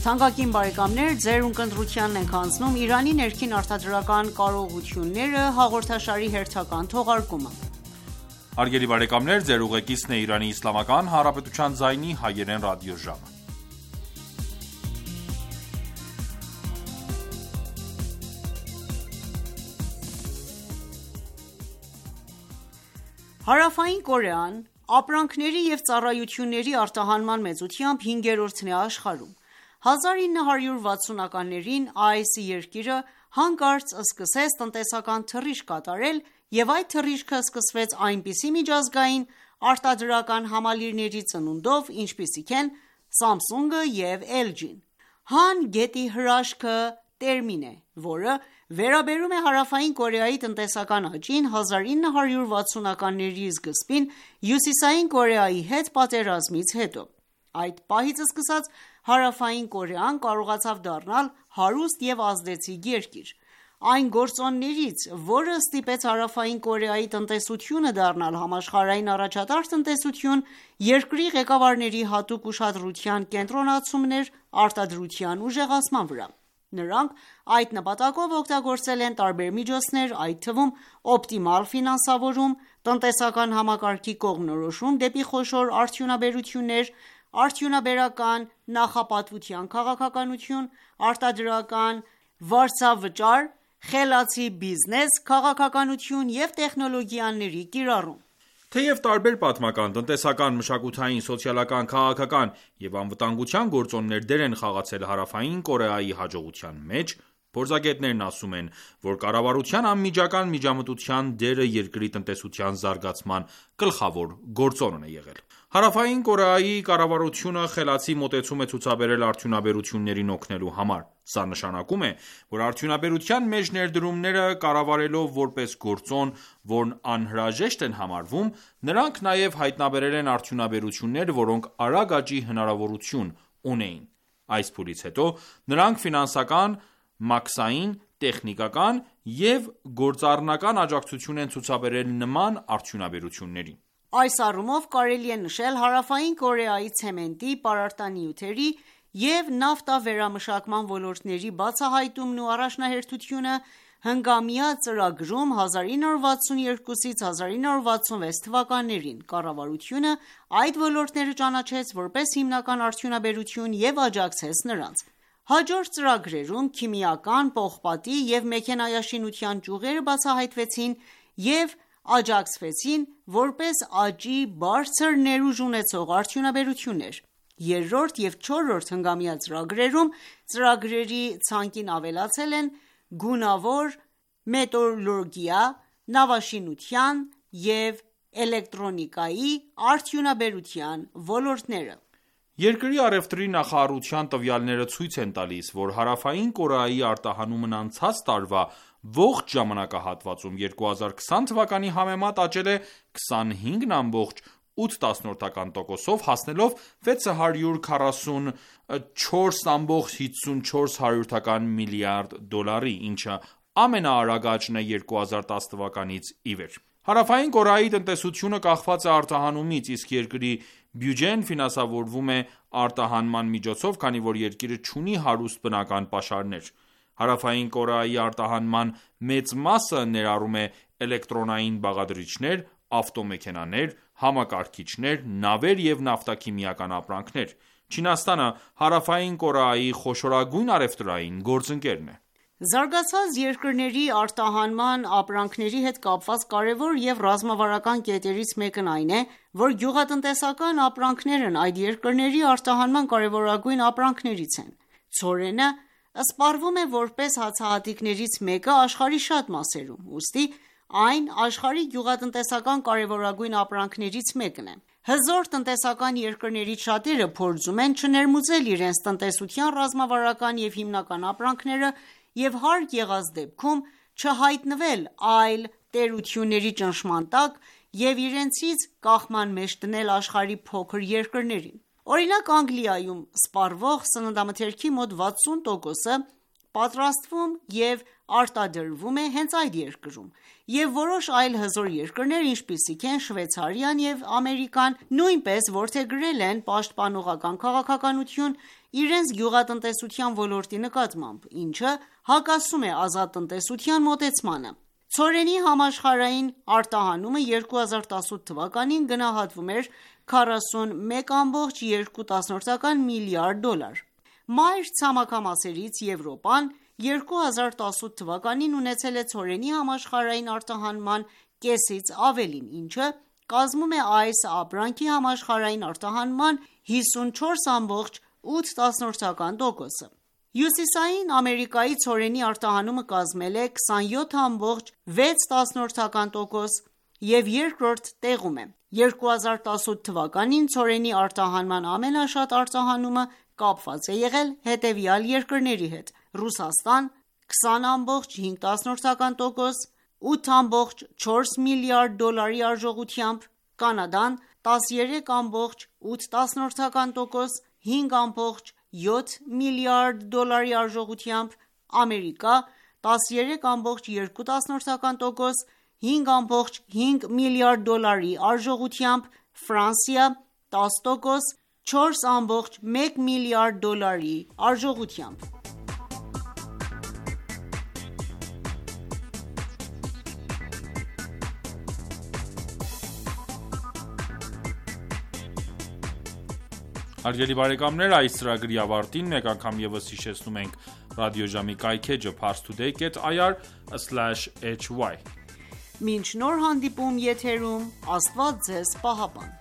Թանկագին բարեկամներ, ձեր ունկնդրությանն ենք հանձնում Իրանի ներքին արտադրական կարողությունները հաղորդաշարի հերթական թողարկումը։ Հարգելի բարեկամներ, ձեր ուղեկիցն է Իրանի Իսլամական Հանրապետության ձայնի հայերեն ռադիոժամը։ Հարավային Կորեան ապրանքների և ծառայությունների արտահանման մեծությամբ հինգերորդն է աշխարհում։ հազար ինը հարյուր վաթսունականներին այս երկիրը հանկարծ սկսեց տնտեսական թռիչք կատարել և այդ թռիչքը սկսվեց այնպիսի միջազգային արտադրական համալիրների ծնունդով, ինչպիսիք են Samsung-ը և L G-ն։ Han գետի հրաշքը տերմին է, որը վերաբերում է Հարավային Կորեայի տնտեսական աճին հազար ինը հարյուր վաթսունականների սկզբին Հյուսիսային Կորեայի հետ պատերազմից հետո։ Այդ պահից սկսած Հարավային Կորեան կարողացավ դառնալ հարուստ և ազդեցիկ երկիր։ Այն գործոններից, որը ստիպեց Հարավային Կորեայի տնտեսությունը դառնալ համաշխարհային առաջատար տնտեսություն, երկրի ղեկավարների հատուկ ուշադրության կենտրոնացումն էր արտադրության ուժեղացման վրա։ Նրանք այդ նպատակով օգտագործել են տարբեր միջոցներ, այդ թվում օպտիմալ ֆինանսավորում, տնտեսական համակարգի կողմնորոշում դեպի խոշոր արդյունաբերություններ, արդյունաբերական նախապատվության քաղաքականություն, արտադրական վարձավճար, խելացի բիզնես քաղաքականություն և տեխնոլոգիաների կիրառում։ Թեև տարբեր պատմական, տնտեսական, մշակութային, սոցիալական, քաղաքական և անվտանգության գործոններ դեր են խաղացել Հարավային Կորեայի հաջողության մեջ, Փորձագետներն ասում են, որ կառավարության անմիջական միջամտության դերը երկրի տնտեսության զարգացման գլխավոր գործոնն է եղել։ Հարավային Կորեայի կառավարությունը խելացի մոտեցում է ցուցաբերել արդյունաբերություններին օգնելու համար։ Սա նշանակում է, որ արդյունաբերության մեջ ներդրումները կառավարելով որպես գործոն, որն անհրաժեշտ են համարվում, նրանք նաև հայտնաբերել են արդյունաբերություններ, որոնք արագ աճի հնարավորություն ունեին։ Այս փուլից հետո նրանք ֆինանսական, մաքսային, տեխնիկական և գործառնական աջակցություն են ցուցաբերել նման արդյունաբերություններին։ Այս առումով կարելի է նշել Հարավային Կորեայի ցեմենտի, պարարտանյութերի և նավթավերամշակման ոլորտների բացահայտումն ու առաջնահերթությունը հնգամյա ծրագրում հազար ինը հարյուր վաթսունյոթից հազար ինը հարյուր վաթսունվեց թվականներին կառավարությունը այդ ոլորտները ճանաչեց որպես հիմնական արդյունաբերություն և աջակցեց նրանց։ Հաջորդ ծրագրերում քիմիական, պողպատի և մեքենայաշինության ճյուղերը բացահայտվեցին և աջակցվեցին որպես աճի բարձր ներուժ ունեցող արդյունաբերություններ։ Երրորդ և չորրորդ հնգամյա ծրագրերում ծրագրերի ցանկին ավելացել են գունավոր մետալուրգիա, նավաշինության և էլեկտրոնիկայի արդյունաբերության ոլորտները։ Երկրի առևտրի նախարարության տվյալները ցույց են տալիս, որ Հարավային Կորեայի արտահանումն անցած տարվա ողջ ժամանակահատվածում երկու հազար քսան թվականի համեմատ աճել է քսանհինգ ամբողջ ութ տոկոսով, հասնելով վեց հարյուր քառասուն չորս ամբողջ հիսուն չորս միլիարդ դոլարի, ինչը ամենաարագ աճն է երկու հազար տաս թվականից ի վեր։ Հարավային Կորեայի տնտեսությունը կախված է արտահանումից, իսկ երկրի բյուջեն ֆինանսավորվում է արտահանման միջոցով, քանի որ երկիրը չունի հարուստ բնական պաշարներ։ Հարավային Կորեայի արտահանման մեծ մասը ներառում է էլեկտրոնային բաղադրիչներ, ավտոմեքենաներ, համակարգիչներ, նավեր և նավթաքիմիական ապրանքներ։ Չինաստանը Հարավային Կորեայի խոշորագույն առևտրային գործընկերն է։ Զարգացած երկրների արտահանման ապրանքների հետ կապված կարևոր և ռազմավարական կետերից մեկն այն է, որ գյուղատնտեսական ապրանքներն այդ երկրների արտահանման կարևորագույն ապրանքներից են։ Ցորենը սպառվում է որպես հացահատիկներից մեկը աշխարհի շատ մասերում, ուստի այն աշխարհի գյուղատնտեսական կարևորագույն ապրանքներից մեկն է։ Հզոր տնտեսական երկրներից շատերը փորձում են չներմուծել իրենց տնտեսության ռազմավարական և հիմնական ապրանքները և հարկ եղած դեպքում չհայտնվել այլ տերությունների ճնշման տակ և իրենցից կախման մեջ դնել աշխարհի փոքր երկրներին։ Օրինակ Անգլիայում սպառվող սննդամթերքի մոտ վաթսուն տոկոսը պատրաստվում և արտադրվում է հենց այդ երկրում, և որոշ այլ հզոր երկրներ, ինչպիսիք են Շվեյցարիան և Ամերիկան, նույնպես որդեգրել են պաշտպանողական քաղաքականություն իրենց գյուղատնտեսության ոլորտի նկատմամբ, ինչը հակասում է ազատ տնտեսության մոտեցմանը։ Ցորենի համաշխարհային արտահանումը երկու հազար տասութ թվականին գնահատվում էր քառասունմեկ ամբողջ երկու միլիարդ դոլար։ Մայր ցամաքամասերից Եվրոպան երկու հազար տասութ թվականին ունեցել է ցորենի համաշխարհային արտահանման կեսից ավելին, ինչը կազմում է այս ապրանքի համաշխարհային արտահանման հիսունչորս ամբողջ ութ տոկոսը։ Հյուսիսային Ամերիկայի ցորենի արտահանումը կազմել է քսանյոթ ամբողջ վեց տոկոս և երկրորդ տեղում է։ երկու հազար տասութ թվականին ցորենի արտահանման ամենաշատ արտահանումը կապված է եղել հետևյալ երկրների հետ՝ Ռուսաստան քսան ամբողջ հինգ տոկոս, ութ ամբողջ չորս միլիարդ դոլարի արժողությամբ, Կանադան տասներեք ամբողջ ութ տոկոս, հինգ ամբողջ յոթ միլիարդ դոլարի արժողությամբ, Ամերիկա տասներեք ամբողջ երկու տոկոս, հինգ ամբողջ հինգ միլիարդ դոլարի արժողությամբ, Ֆրանսիա տաս տոկոս, չորս ամբողջ մեկ միլիարդ դոլարի արժողությամբ։ Հարգելի բարեկամներ, այս ծրագրի ավարտին մեկ անգամ ևս հիշեցնում ենք ռադիոժամի կայքէջը parstoday dot i r slash h y։ Մինչ նոր հանդիպում եթերում, Աստված ձեզ պահապան։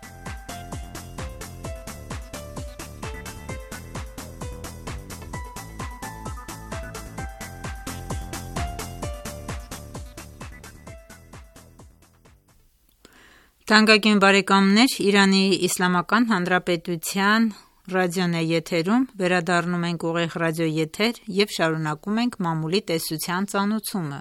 Թանկագին բարեկամներ, Իրանի Իսլամական Հանրապետության ռադիոն է եթերում, վերադառնում ենք ուղիղ ռադիոեթեր և շարունակում ենք մամուլի տեսության ծանոթումը։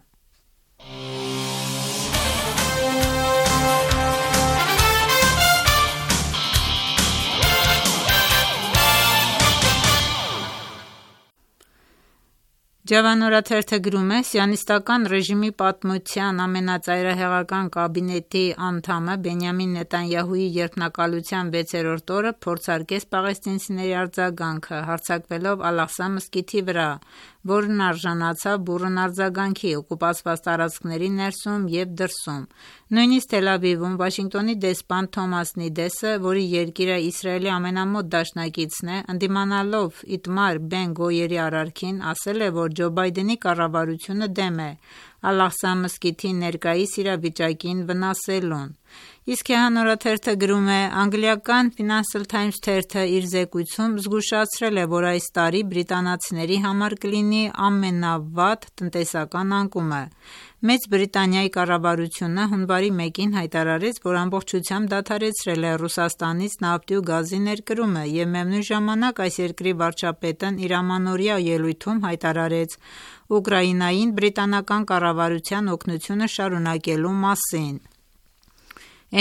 Ջավան օրաթերթը գրում է. «Սիոնիստական ռեժիմի պատմության ամենածայրահեղական կաբինետի անդամը Բենյամին Նեթանյահուի երդմնակալության վեցերորդ օրը փորձարկեց պաղեստինցիների արձագանքը, հարձակվելով Ալ-Աղսա մզկիթի վրա, որն արժանացավ բուռն արձագանքի օկուպացված տարածքների ներսում և դրսում։ Նույնիսկ Թել Ավիվում Վաշինգտոնի դեսպան Թոմաս Նիդեսը, որի երկիրը Իսրայելի ամենամոտ դաշնակիցն է, ընդդիմանալով Իտմար Բեն Գոյերի արարքին, ասել է, որ Ջո Բայդենի կառավարությունը դեմ է Ալ-Աղսա մզկիթի ներկայիս իրավիճակին վնասելուն։ Իսկ Քեհան օրաթերթը գրում է. անգլիական Financial Times թերթը իր զեկույցում զգուշացրել է, որ այս տարի բրիտանացիների համար կլինի ամենավատ տնտեսական անկումը։ Մեծ Բրիտանիայի կառավարությունը հունվարի մեկին հայտարարեց, որ ամբողջությամբ դադարեցրել է Ռուսաստանից նավթի ու գազի ներկրումը և միևնույն ժամանակ այս երկրի վարչապետն իր ամանորյա ելույթում հայտարարեց Ուկրաինային բրիտանական կառավարության օգնությունը շարունակելու մասին։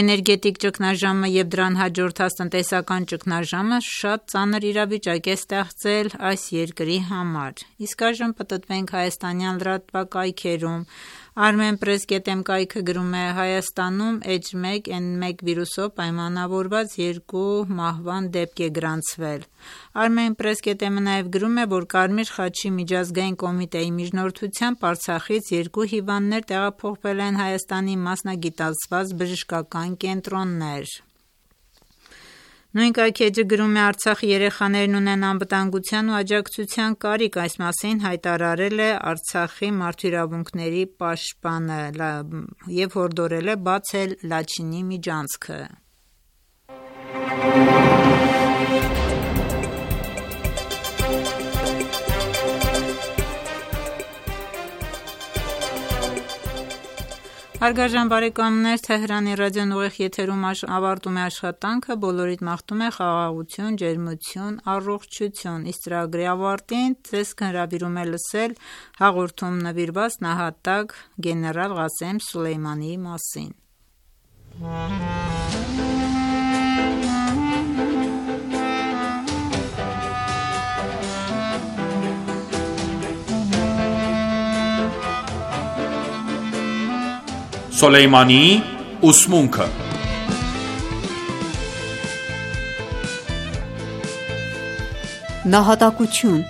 Էներգետիկ ճգնաժամը և դրան հաջորդած տնտեսական ճգնաժամը շատ ծանր իրավիճակ է ստեղծել այս երկրի համար։ Իսկ այժմ պտտվենք հայաստանյան լրատվակայքերում։ Armenpress dot am կայքը գրում է. Հայաստանում Էյչ մեկ էն մեկ վիրուսով պայմանավորված երկու մահվան դեպք է գրանցվել։ Armenpress dot am-ը նաև գրում է, որ Կարմիր խաչի միջազգային կոմիտեի միջնորդությամբ Արցախից երկու հիվանդներ տեղափոխվել են Հայաստանի մասնագիտացված բժշկական կենտրոններ։ Նույն կայքէջը գրում է. Արցախի երեխաներն ունեն անվտանգության ու աջակցության կարիք, այս մասին հայտարարել է Արցախի մարդու իրավունքների պաշտպանը և հորդորել է բացել Լաչինի միջանցքը։ Հարգարժան բարեկամներ, Թեհրանի ռադիոն ուղիղ եթերում ավարտում է աշխատանքը, բոլորիդ մաղթում է խաղաղություն, ջերմություն, առողջություն, իսկ ծրագրի ավարտին ձեզ հրավիրում է լսել հաղորդում նվիրված նահատակ գեներալ Ղասեմ Սուլեյմանիի մասին։ Սոլեյմանիի ուսմունքը Նահատակություն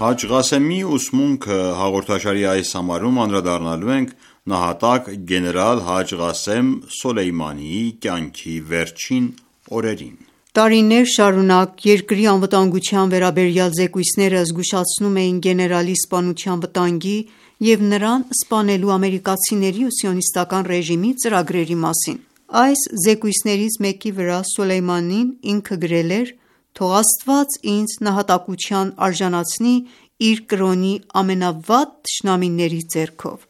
Հաջ Ղասեմի ուսմունքը հաղորդաշարի այս համարում անդրադառնալու ենք նահատակ գեներալ Հաջ Ղասեմ Սոլեյմանիի կյանքի վերջին օրերին։ Տարիներ շարունակ երկրի անվտանգության վերաբերյալ զեկույցները զգուշացնում էին գեներալի սպանության վտանգի և նրան սպանելու ամերիկացիների ու սիոնիստական ռեժիմի ծրագրերի մասին։ Այս զեկույցներից մեկի վրա Սոլեյմանին ինքը գրել էր. «Թող Աստված ինձ նահատակության արժանացնի իր կրոնի ամենավատ թշնամիների ձեռքով»։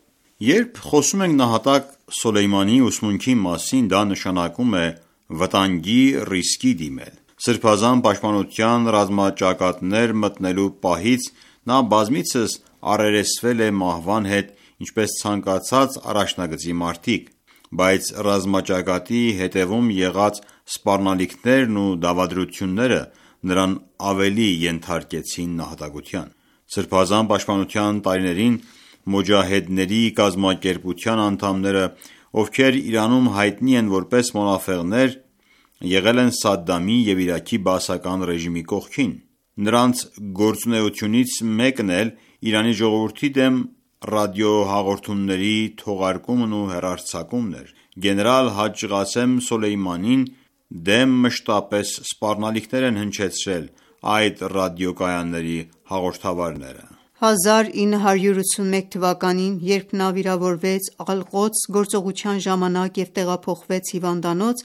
Երբ խոսում ենք նահատակ Սոլեյմանիի ուսմունքի մասին, դա նշանակում է վտանգի ռիսկի դիմել։ Սրբազան պաշտպանության ռազմաճակատներ մտնելու պահից նա բազմիցս առերեսվել է մահվան հետ, ինչպես ցանկացած առաջնագծի մարտիկ, բայց ռազմաճակատի հետևում եղած սպառնալիքներն ու դավադրությունները նրան ավելի ենթարկեցին նահատակության։ Սրբազան պաշտպանության տարիներին Մոջահեդների կազմակերպության անդամները, ովքեր Իրանում հայտնի են որպես մոնաֆեղներ, եղել են Սադդամի և Իրաքի բաասական ռեժիմի կողքին։ Նրանց գործունեությունից մեկն էլ Իրանի ժողովրդի դեմ ռադիոհաղորդումների թողարկումն ու հեռարձակումն էր։ Գեներալ Հաջ Ղասեմ Սոլեյմանին դեմ մշտապես սպառնալիքներ են հնչեցրել այդ ռադիոկայանների հաղորդավարները։ հազար ինը հարյուր ութսունմեկ թվականին, երբ նա վիրավորվեց Ալ-Ղոդս գործողության ժամանակ և տեղափոխվեց հիվանդանոց,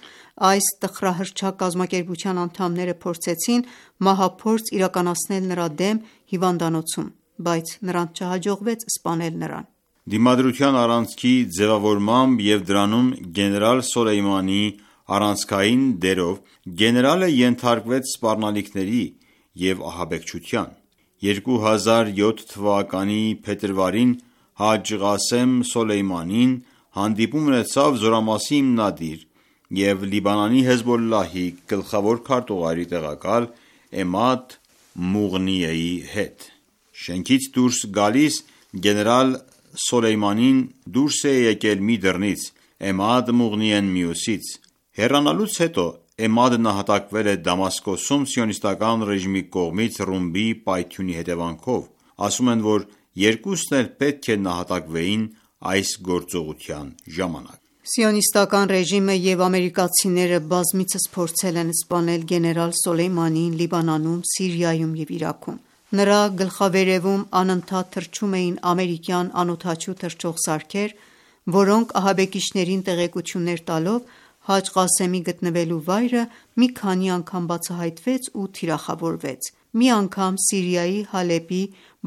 այս տխրահռչակ կազմակերպության անդամները փորձեցին մահափորձ իրականացնել նրա դեմ հիվանդանոցում, բայց նրանց չհաջողվեց սպանել նրան։ Դիմադրության առանցքի ձևավորմամբ և դրանում գեներալ Սոլեյմանիի առանցքային դերով գեներալը ենթարկվեց սպառնալիքների և ահաբեկչության։ երկու հազար յոթ թվականի փետրվարին Հաջ Ղասեմ Սոլեյմանին հանդիպում ունեցավ զորամասի հիմնադիր և Լիբանանի Հեզբոլլահի գլխավոր քարտուղարի տեղակալ Էմադ Մուղնիեի հետ։ Շենքից դուրս գալիս գեներալ Սոլեյմանին դուրս է եկել մի դռնից, Էմադ Մուղնիեն մյուսից։ Հեռանալուց հետո Էմադը նահատակվել է Դամասկոսում սիոնիստական ռեժիմի կողմից ռումբի պայթյունի հետևանքով։ Ասում են, որ երկուսն էլ պետք է նահատակվեին այս գործողության ժամանակ։ Սիոնիստական ռեժիմը և ամերիկացիները բազմիցս փորձել են սպանել գեներալ Սոլեյմանիին Լիբանանում, Սիրիայում և Իրաքում։ Նրա գլխավերևում անընդհատ թռչում էին ամերիկյան անօդաչու թռչող սարքեր, որոնք ահաբեկիչներին տեղեկություններ տալով Հաջ Ղասեմի գտնվելու վայրը մի քանի անգամ բացահայտվեց ու թիրախավորվեց։ Մի անգամ Սիրիայի Հալեպի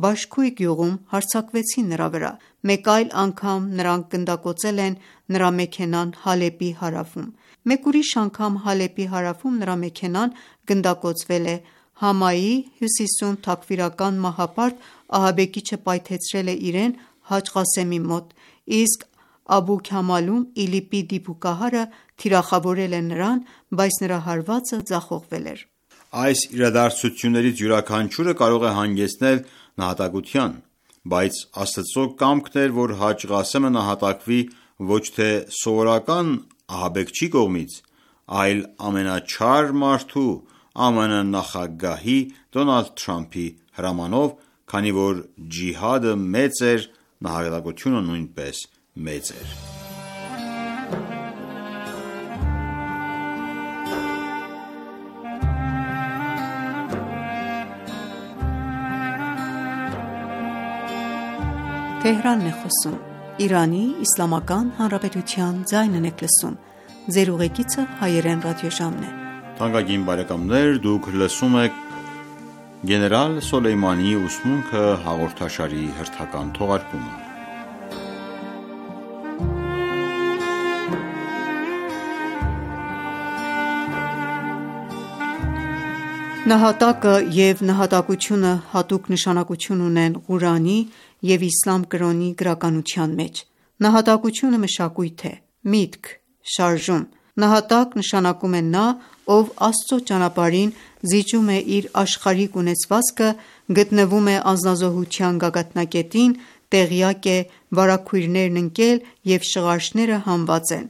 Բաշքույ գյուղում հարձակվեցին նրա վրա։ Մեկ այլ անգամ նրանք գնդակոծել են նրա մեքենան Հալեպի հարավում։ Մեկ ուրիշ անգամ Հալեպի հարավում նրա մեքենան գնդակոծվել է։ Համայի հյուսիսում թաքֆիրական մահապարտ ահաբեկիչը պայթեցրել է իրեն Հաջ Ղասեմի մոտ, իսկ Աբու Քամալում ԻԼԻՊ-ի դիպուկահարը թիրախավորել է նրան, բայց նրա հարվածը ձախողվել էր։ Այս իրադարձություններից յուրաքանչյուրը կարող է հանգեցնել նահատակության, բայց Աստծո կամքն էր, որ Հաջ Ղասեմը նահատակվի ոչ թե սովորական ահաբեկչի կողմից, այլ ամենաչար մարդու՝ ԱՄՆ նախագահի Դոնալդ Թրամփի հրամանով, քանի որ ջիհադը մեծ էր, նահատակությունը նույնպես մեծ էր։ Նահատակը և նահատակությունը հատուկ նշանակություն ունեն Ղուրանի և իսլամ կրոնի գրականության մեջ։ Նահատակությունը մշակույթ է, միտք, շարժում։ Նահատակ նշանակում է նա, ով Աստծո ճանապարհին զիջում է իր աշխարհիկ ունեցվածքը, գտնվում է անձնազոհության գագաթնակետին, տեղյակ է վարագույրներն ընկել և շղարշները հանված են։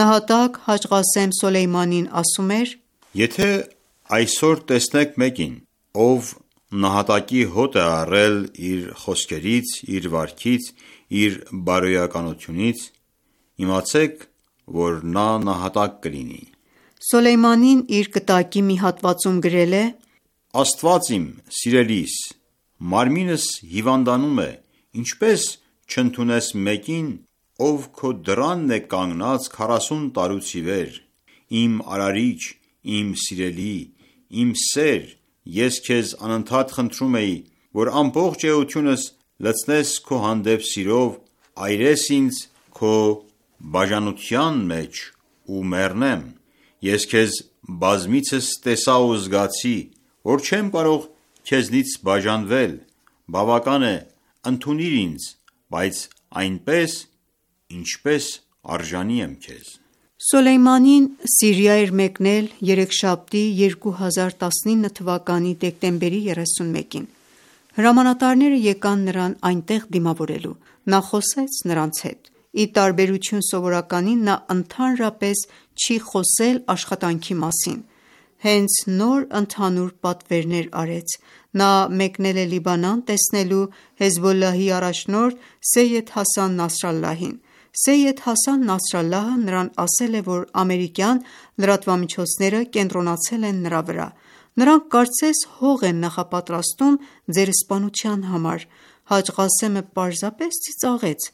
Նահատակ Հաջ Ղասեմ Սոլեյմանին ասում էր. Եթե այսօր տեսնեք մեկին, ով նահատակի հոտ է առել իր խոսքերից, իր վարքից, իր բարոյականությունից, իմացեք, որ նա նահատակ կլինի։ Սոլեյմանին իր կտակի մի հատվածում գրել է. Աստված իմ սիրելիս, մարմինս հիվանդանում է, ինչպես չընդունես մեկին, ով քո դռանն է կանգնած քառասուն տարուց ի վեր, իմ արարիչ, իմ սիրելի, իմ սեր, ես քեզ անընդհատ խնդրում էի, որ ամբողջ էությունս լցնես քո հանդեպ սիրով, այրես ինձ քո բաժանության մեջ ու մեռնեմ։ Ես քեզ բազմիցս տեսա ու զգացի, որ չեմ կարող քեզնից բաժանվել, բավական է, ընդունիր ինձ, բայց այնպես, ինչպես արժանի եմ քեզ։ Սոլեյմանին Սիրիա էր մեկնել երեքշաբթի երկու հազար տասնինը թվականի դեկտեմբերի երեսունմեկին։ Հրամանատարները եկան նրան այնտեղ դիմավորելու։ Նա խոսեց նրանց հետ։ Ի տարբերություն սովորականի, նա ընդհանրապես չի խոսել աշխատանքի մասին։ Հենց նոր ընդհանուր պատվերներ արեց։ Նա մեկնել է Լիբանան տեսնելու Հեզբոլլահի առաջնորդ Սեյյեդ Հասան Նասրալլահին։ Սեյյեդ Հասան Նասրալլահը նրան ասել է, որ ամերիկյան լրատվամիջոցները կենտրոնացել են նրա վրա։ Նրանք կարծես հող են նախապատրաստում ձեր սպանության համար։ Հաջ Ղասեմը պարզապես ծիծաղեց։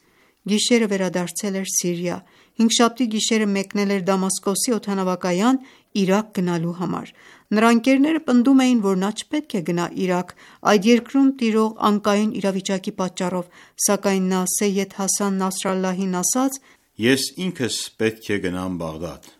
Գիշերը վերադարձել էր Սիրիա, հինգշաբթի գիշերը մեկնել էր Դամասկոսի օդանավակայան Իրաք գնալու համար։ Նրա ընկերները պնդում էին, որ նա չպետք է գնա Իրաք այդ երկրում տիրող անկայուն իրավիճակի պատճառով, սակայն նա Սեյեդ Հասան Նասրալլահին ասաց. «Ես ինքս պետք է գնամ Բաղդադ»։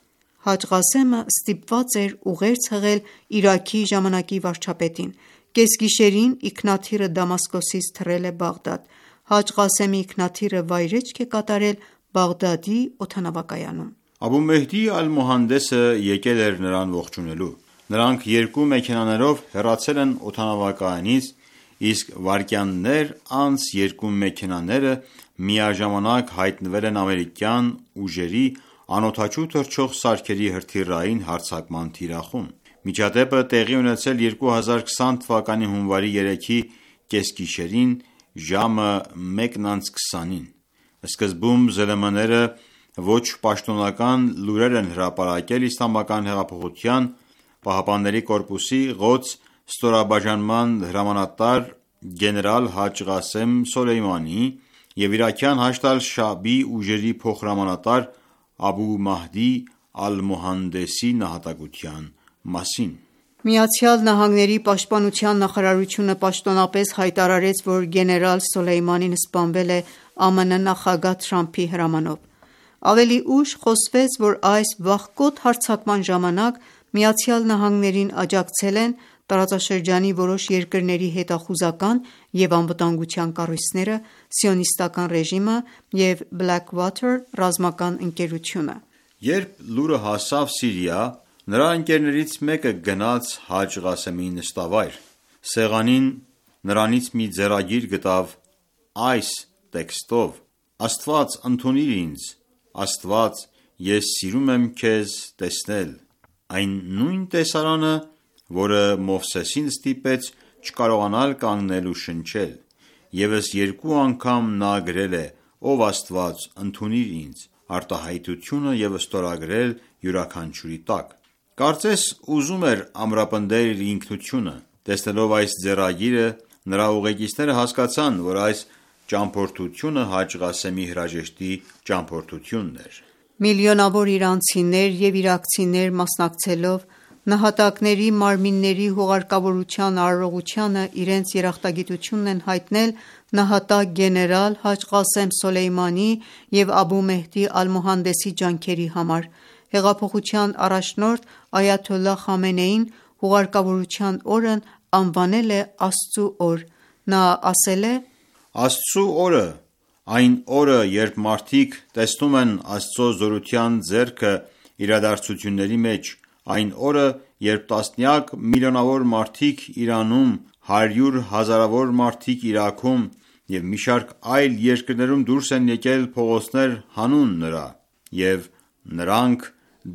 Հաջ Ղասեմը ստիպված էր ուղերձ հղել Իրաքի ժամանակի վարչապետին։ Կեսգիշերին ինքնաթիռը Դամասկոսից թռել է Բաղդադ։ Հաջ Ղասեմի ինքնաթիռը վայրէջք է կատարել Բաղդադի օդանավակայանում։ Աբու Մեհդի Ալ-Մոհանդեսը եկել էր նրան ողջունելու։ Նրանք երկու մեքենաներով հեռացել են օդանավակայանից, իսկ վայրկյաններ անց երկու մեքենաները միաժամանակ հայտնվել են ամերիկյան ուժերի անօդաչու թռչող սարքերի հրթիռային հարձակման թիրախում։ Միջադեպը տեղի ունեցել երկու հազար քսան թվականի հունվարի երեքի կեսգիշերին ժամը մեկն անց քսանին։ Սկզբում ԶԼՄ-ները ոչ պաշտոնական լուրեր են հրապարակել Իսլամական հեղափոխության պահապանների կորպուսի «Ղոդս» ստորաբաժանման հրամանատար գեներալ Հաջ Ղասեմ Սոլեյմանիի և իրաքյան Հաշդ ալ-Շաաբի ուժերի փոխհրամանատար Աբու Մահդի Ալ-Մոհանդեսի նահատակության մասին։ ԱՄՆ պաշտպանության նախարարությունը պաշտոնապես հայտարարեց, որ գեներալ Սոլեյմանին սպանվել է ԱՄՆ նախագահ Թրամփի հրամանով։ Ավելի ուշ խոսվեց, որ այս վախկոտ հարձակման ժամանակ ԱՄՆ-ին աջակցել են տարածաշրջանի որոշ երկրների հետախուզական և անվտանգության կառույցները, Սիոնիստական ռեժիմը և Blackwater ռազմական ընկերությունը։ Երբ լուրը հասավ Սիրիա, նրա ընկերներից մեկը գնաց Հաջ Ղասեմի նստավայր։ Սեղանին նրանից մի ձեռագիր գտավ այս տեքստով. «Աստված ընդունիր ինձ, Աստված, ես սիրում եմ քեզ տեսնել»։ Այն նույն տեսարանը, որը Մովսեսին ստիպեց չկարողանալ կանգնել ու շնչել։ Եվս երկու անգամ նա գրել է. «Ով Աստված, ընդունիր ինձ», արտահայտությունը և ստորագրել յուրաքանչյուրի տակ։ Կարծես ուզում էր ամրապնդել իր ինքնությունը։ Տեսնելով այս ձեռագիրը, նրա ուղեկիցները հասկացան, որ այս ճամփորդությունը Հաջ Ղասեմի հրաժեշտի ճամփորդությունն էր։ Միլիոնավոր իրանցիներ և իրաքցիներ մասնակցելով նահատակների մարմինների հուղարկավորության արարողությանը իրենց երախտագիտությունն են հայտնել նահատակ գեներալ Հաջ Ղասեմ Սոլեյմանիի և Աբու Մեհդի Ալ-Մոհանդեսի ջանքերի համար։ Հեղափոխության առաջնորդ Այաթոլլահ Խամենեին հուղարկավորության օրն անվանել է Աստծու օր։ Նա ասել է. «Աստծու օրը, այն օրը, երբ մարդիկ տեսնում են Աստծո զորության ձեռքը իրադարձությունների մեջ, այն օրը, երբ տասնյակ միլիոնավոր մարդիկ Իրանում, հարյուր հազարավոր մարդիկ Իրաքում և մի շարք այլ երկրներում դուրս են եկել փողոցներ հանուն նրա, և նրանք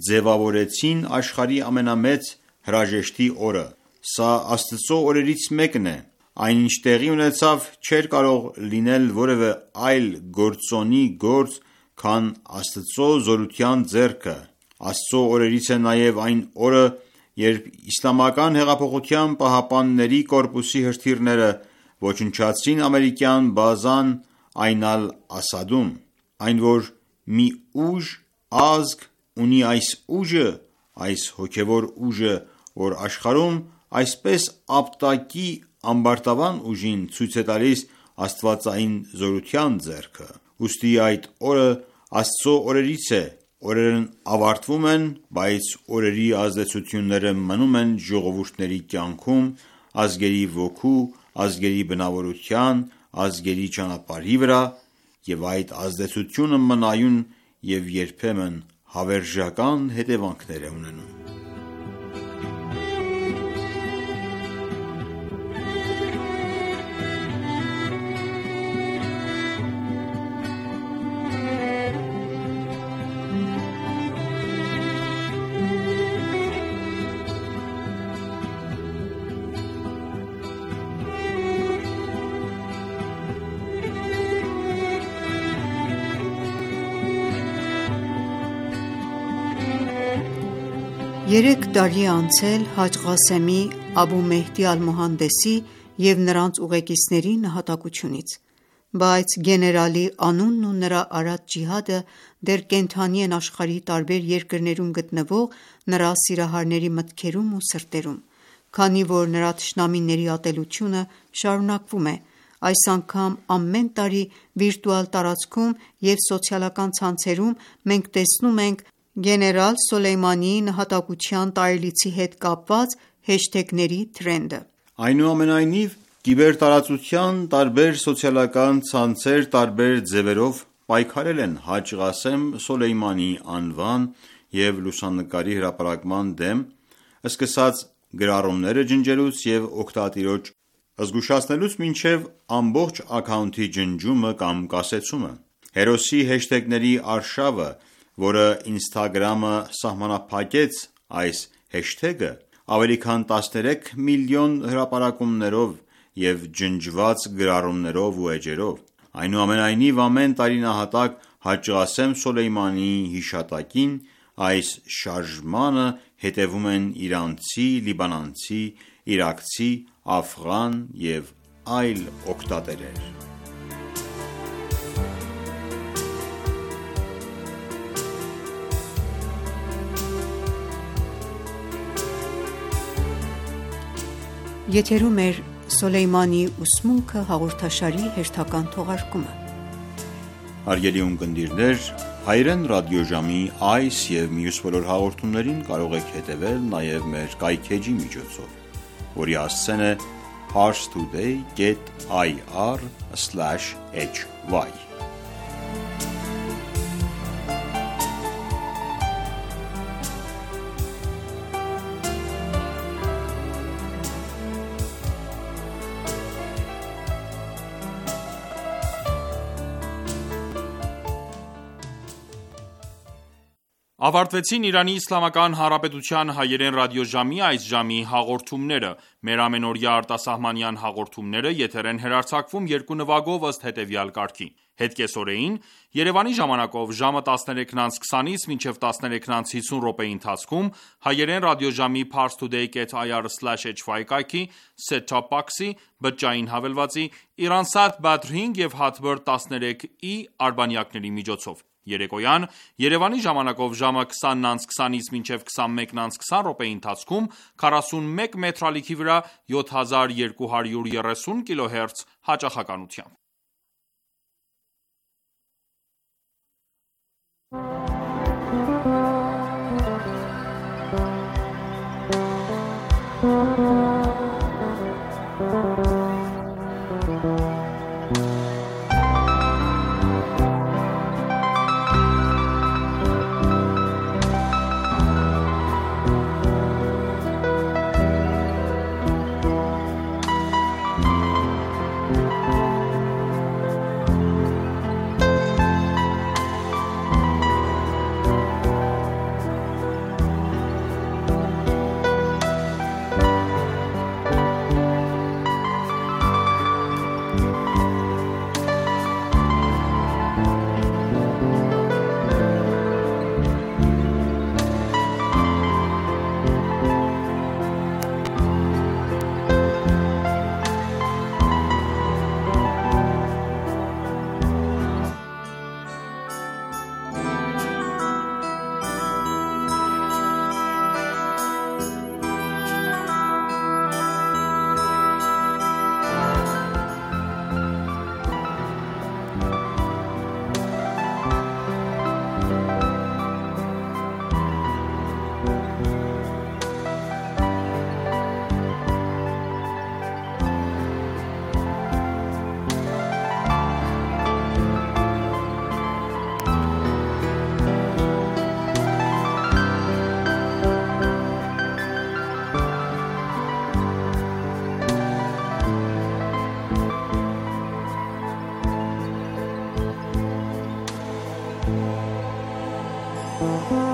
ձևավորեցին աշխարհի ամենամեծ հրաժեշտի օրը։ Սա Աստծո օրերից մեկն է։ Այն ինչ տեղի ունեցավ չէր կարող լինել որևէ այլ գործոնի գործ, քան Աստծո զորության ձեռքը։ Աստծո օրերից է նաև այն օրը, երբ Իսլամական հեղափոխության պահապանների կորպուսի հրթիռները ոչնչացրին ամերիկյան բազան Այն Ալ-Ասադում։ Այն, որ մի ուժ, ազգ ունի այս ուժը, այս հոգևոր ուժը, որ աշխարհում այսպես ապտակի ամբարտավան ուժին, ցույց է տալիս աստվածային զորության ձեռքը։ Ուստի այդ օրը Աստծո օրերից է։ Օրերն ավարտվում են, բայց օրերի ազդեցությունները մնում են ժողովուրդների կյանքում, ազգերի ոգու, ազգերի բնավորության, ազգերի ճանապարհի վրա, և այդ ազդեցությունը մնայուն և երբեմն հավերժական հետևանքներ է ունենում։ Երեք տարի է անցել Հաջ Ղասեմի, Աբու Մեհդի Ալ-Մոհանդեսի և նրանց ուղեկիցների նահատակությունից: Բայց գեներալի անունն ու նրա արած ջիհադը դեռ կենդանի են աշխարհի տարբեր երկրներում գտնվող նրա սիրահարների մտքերում ու սրտերում: Քանի որ նրա թշնամիների ատելությունը շարունակվում է, այս անգամ ամեն տարի վիրտուալ տարածքում և սոցիալական ցանցերում մենք տեսնում ենք գեներալ Սոլեյմանիի նահատակության տարելիցի հետ կապված հեշթեգների թրենդը: Այնուամենայնիվ, կիբերտարածության տարբեր սոցիալական ցանցեր տարբեր ձևերով պայքարել են Հաջ Ղասեմ Սոլեյմանիի անվան և լուսանկարի հրապարակման դեմ, սկսած գրառումները ջնջելուց և օգտատիրոջ զգուշացնելուց մինչև ամբողջ աքաունթի ջնջումը կամ կասեցումը: Հերոսի հեշթեգների արշավը, որը Instagram-ը սահմանափակեց այս հեշթեգը, ավելի քան տասներեք միլիոն հրապարակումներով և ջնջված գրառումներով ու էջերով: Այնուամենայնիվ, ամեն տարի նահատակ Հաջ Ղասեմ Սոլեյմանիի հիշատակին այս շարժմանը հետևում են իրանցի, լիբանանցի, իրաքցի, աֆղան և այլ օգտատերեր: Եթերում է «Սոլեյմանիի ուսմունքը» հաղորդաշարի հերթական թողարկումը: Հարգելի ունկնդիրներ, հայրեն ռադիոժամի այս և մյուս բոլոր հաղորդումներին կարող եք հետևել նաև մեր կայքէջի միջոցով, որի հասցեն է parstoday dot ir slash hy: Ավարտվեցին Իրանի Իսլամական Հանրապետության հայերեն ռադիոժամի այս ժամի հաղորդումները: Մեր ամենօրյա արտասահմանյան հաղորդումները եթեր են հեռարձակվում երկու նվագով ըստ հետևյալ կարգի: Հետկեսօրեին Երևանի ժամանակով ժամը տասներեքն անց քսանից մինչև տասներեքն անց հիսուն րոպեի ընթացքում հայերեն ռադիոժամի parstoday dot ir slash hy կայքի set-top box-ի, բջջային հավելվածի, Iransat Badr հինգ և Hotbird տասներեք ի արբանյակների միջոցով: Երեկոյան Երևանի ժամանակով ժամը քսանն անց քսանից մինչև քսանմեկն անց քսան րոպեի ընթացքում քառասունմեկ մետրալիքի վրա յոթ հազար երկու հարյուր երեսուն կիլոհերց հաճախականությամբ: Thank you.